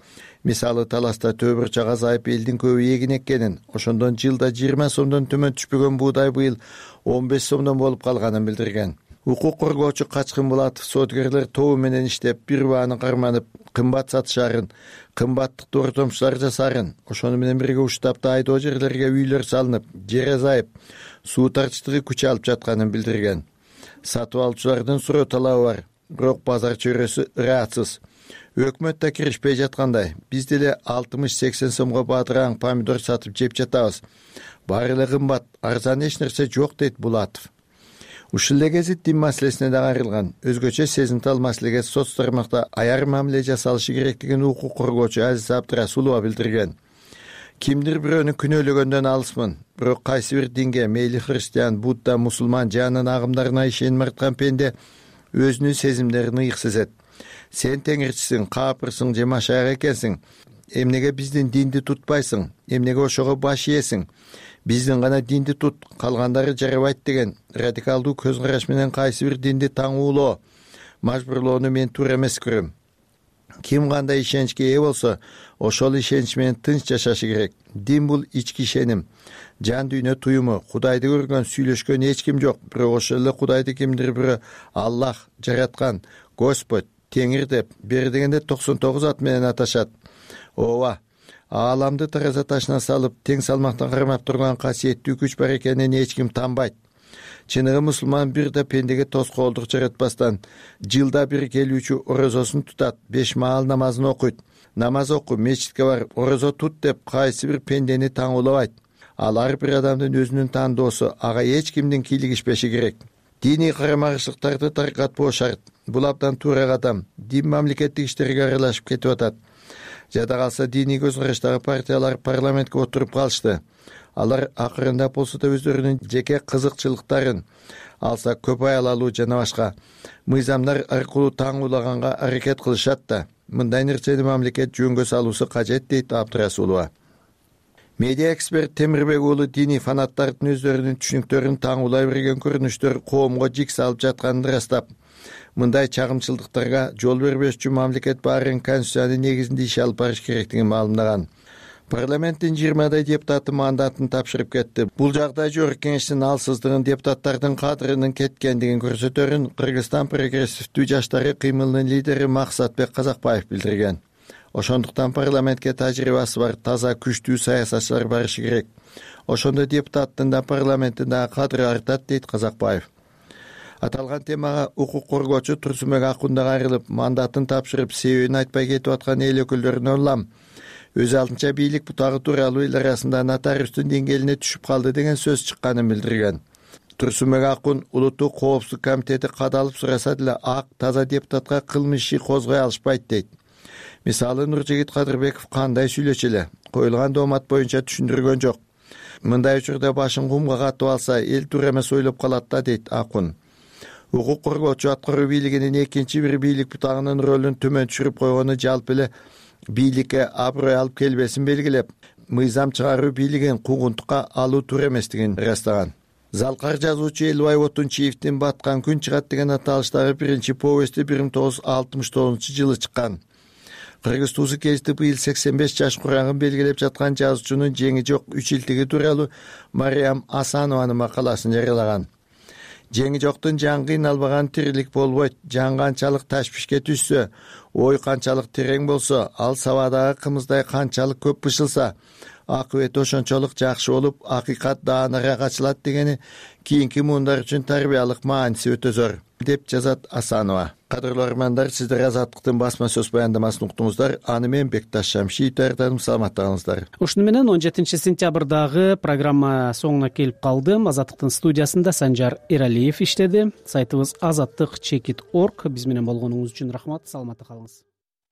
мисалы Таласта төбүрчак азайып элдин көбү эгин эккенин, ошондон жылда жыйырма сомдон төмөн түшпөгөн буудай быйыл он беш сомдон болуп калганын билдирген. Укук коргоочу Качкын Булатов соодгерлер тобу менен иштеп, бир бааны карманып, кымбат сатышарын, кымбаттыкты ортомчулар жасарын, ошону менен бирге уштапта айдоо жерлерге үйлөр салынып, жер азайып, суу тарчтыгы күч алып жатканын билдирген. Сатып алуучулардын суроо талабы бар, бирок базар чөйрөсү ыраатсыз. Өкмөт да киришпей жаткандай, биз деле алтымыш сексен сомго бадыраң помидор сатып жеп жатабыз. Баары эле кымбат, арзан эч нерсе жок, дейт Булатов. Ушул эле гезит дин маселесине да кайрылган. Өзгөчө сезимтал маселеге соц тармакта аяр мамиле жасалышы керектигин укук коргоочу Азиз Абдрасулова билдирген. Кимдир бирөөнү күнөөлөгөндөн алысмын, бирок кайсы бир динге, мейли христиан, будда, мусулман же анын агымдарына ишеним арткан пенде өзүнүн сезимдерин ыйык сезет. Сен теңирчисиң, каапырсың же машаяк экенсиң. Эмнеге биздин динди тутпайсың? Эмнеге ошого баш ийесиң? Биздин гана динди тут, калгандары жарабайт деген радикалдуу көз караш менен кайсы бир динди таңуулоо, мажбурлоону мен туура эмес көрөм. Ким кандай ишеничке ээ болсо, ошол ишенич менен тынч жашашы керек. Дин бул ички ишеним, жан дүйнө туюму, Кудайды көргөн, сүйлөшкөн эч ким жок, бирок ошол эле Кудайды кимдир бирөө Аллах жараткан, Господь, Теңир деп, бери дегенде токсон тогуз ат менен аташат. Ооба, ааламды тараза ташына салып, тең салмактан кармап турган касиеттүү күч бар экенин эч ким танбайт. Чыныгы мусулман бир да пендеге тоскоолдук жаратпастан, жылда бир келүүчү орозосун тутат, беш маал намазын окуйт. Намаз оку, мечитке бар, орозо тут деп кайсы бир пендени таңуулабайт. Ал ар бир адамдын өзүнүн тандоосу, ага эч кимдин кийлигишпеши керек. Диний карама-каршылыктарды таркатпоо шарт. Бул абдан туура кадам. Дин мамлекеттик иштерге аралашып кетип атат. Жада калса диний көз караштагы партиялар парламентке отуруп калышты. Алар акырындап болсо да өздөрүнүн жеке кызыкчылыктарын, алса көп аял алуу жана башка мыйзамдар аркылуу таңуулаганга аракет кылышат да. Мындай нерсени мамлекет жөнгө салуусу кажет, дейт Абдрасулова. Медиа эксперт Темирбек уулу диний фанаттардын өздөрүнүн түшүнүктөрүн таңуулай берген көрүнүштөр коомго жик салып жатканын ырастап, мындай чагымчылдыктарга жол бербеш үчүн мамлекет баарын конституциянын негизинде иш алып барыш керектигин маалымдаган. Парламенттин жыйырмадай депутаты мандатын тапшырып кетти. Бул жагдай жогорку кеңештин алсыздыгын, депутаттардын кадырынын кеткендигин көрсөтөрүн Кыргызстан прогрессивдүү жаштары кыймылынын лидери Максатбек Казакбаев билдирген. Ошондуктан парламентке тажрыйбасы бар, таза, күчтүү саясатчылар барышы керек. Ошондо депутаттын да парламенттин да кадыры артат, дейт Казакбаев. Аталган темага укук коргоочу Турсунбек Акун да кайрылып, мандатын тапшырып, себебин айтпай кетип аткан эл өкүлдөрүнө улам. Өз алтынча бийлик бутагы тууралуу эл арасында нотариустун деңгээлине түшүп калды деген сөз чыкканын билдирген. Турсунбек Акун улуттук коопсуздук комитети кадалып сураса деле ак, таза депутатка кылмыш иши козгой алышпайт, дейт. Мисалы Нуржигит Кадырбеков кандай сүйлөчү эле, коюлган доомат боюнча түшүндүргөн жок. Мындай учурда башын кумга катып алса, эл туура эмес ойлоп калат да, дейт Акун. Укук коргоочу аткаруу бийлигинин экинчи бир бийлик бутагынын ролун төмөн түшүрүп койгону жалпы эле бийликке аброй алып келбесин белгилеп, мыйзам чыгаруу бийлигин куугунтукка алуу туура эместигин ырастаган. Залкар жазуучу Элбай Отунчиевдин Баткан күн чыгат деген аталыштагы биринчи повести бир миң тогуз жүз алтымыш тогузунчу жылы чыккан. Кыргыз туусу кезди быйыл сексен беш жаш курагын белгилеп жаткан жазуучунун жеңи жок үч илтиги тууралуу Мариям Асанованын макаласын жарыялаган. Жеңи жоктун жан кыйналбаган тирилик болбойт. Жан канчалык ташбишке түшсө, ой канчалык терең болсо, ал сабадагы кымыздай канчалык көп бышылса, акыбети ошончолук жакшы болуп, акыйкат даанага качылат дегени кийинки муундар үчүн тарбиялык мааниси өтө зор, деп жазат Асанова. Кадырлуу армандар, сиздер Азаттыктын басма сөз баяндамасын уктуңуздар. Аны мен Бекташ Шамшиев даярдадым. Саламатта калыңыздар. Ушуну менен он жетинчи сентябрдагы программа соңуна келип калдым. Азаттыктын студиясында Санжар Эралиев иштеди. Сайтыбыз азаттык чекит точка орг. Биз менен болгонуңуз үчүн рахмат. Саламатта калыңыз.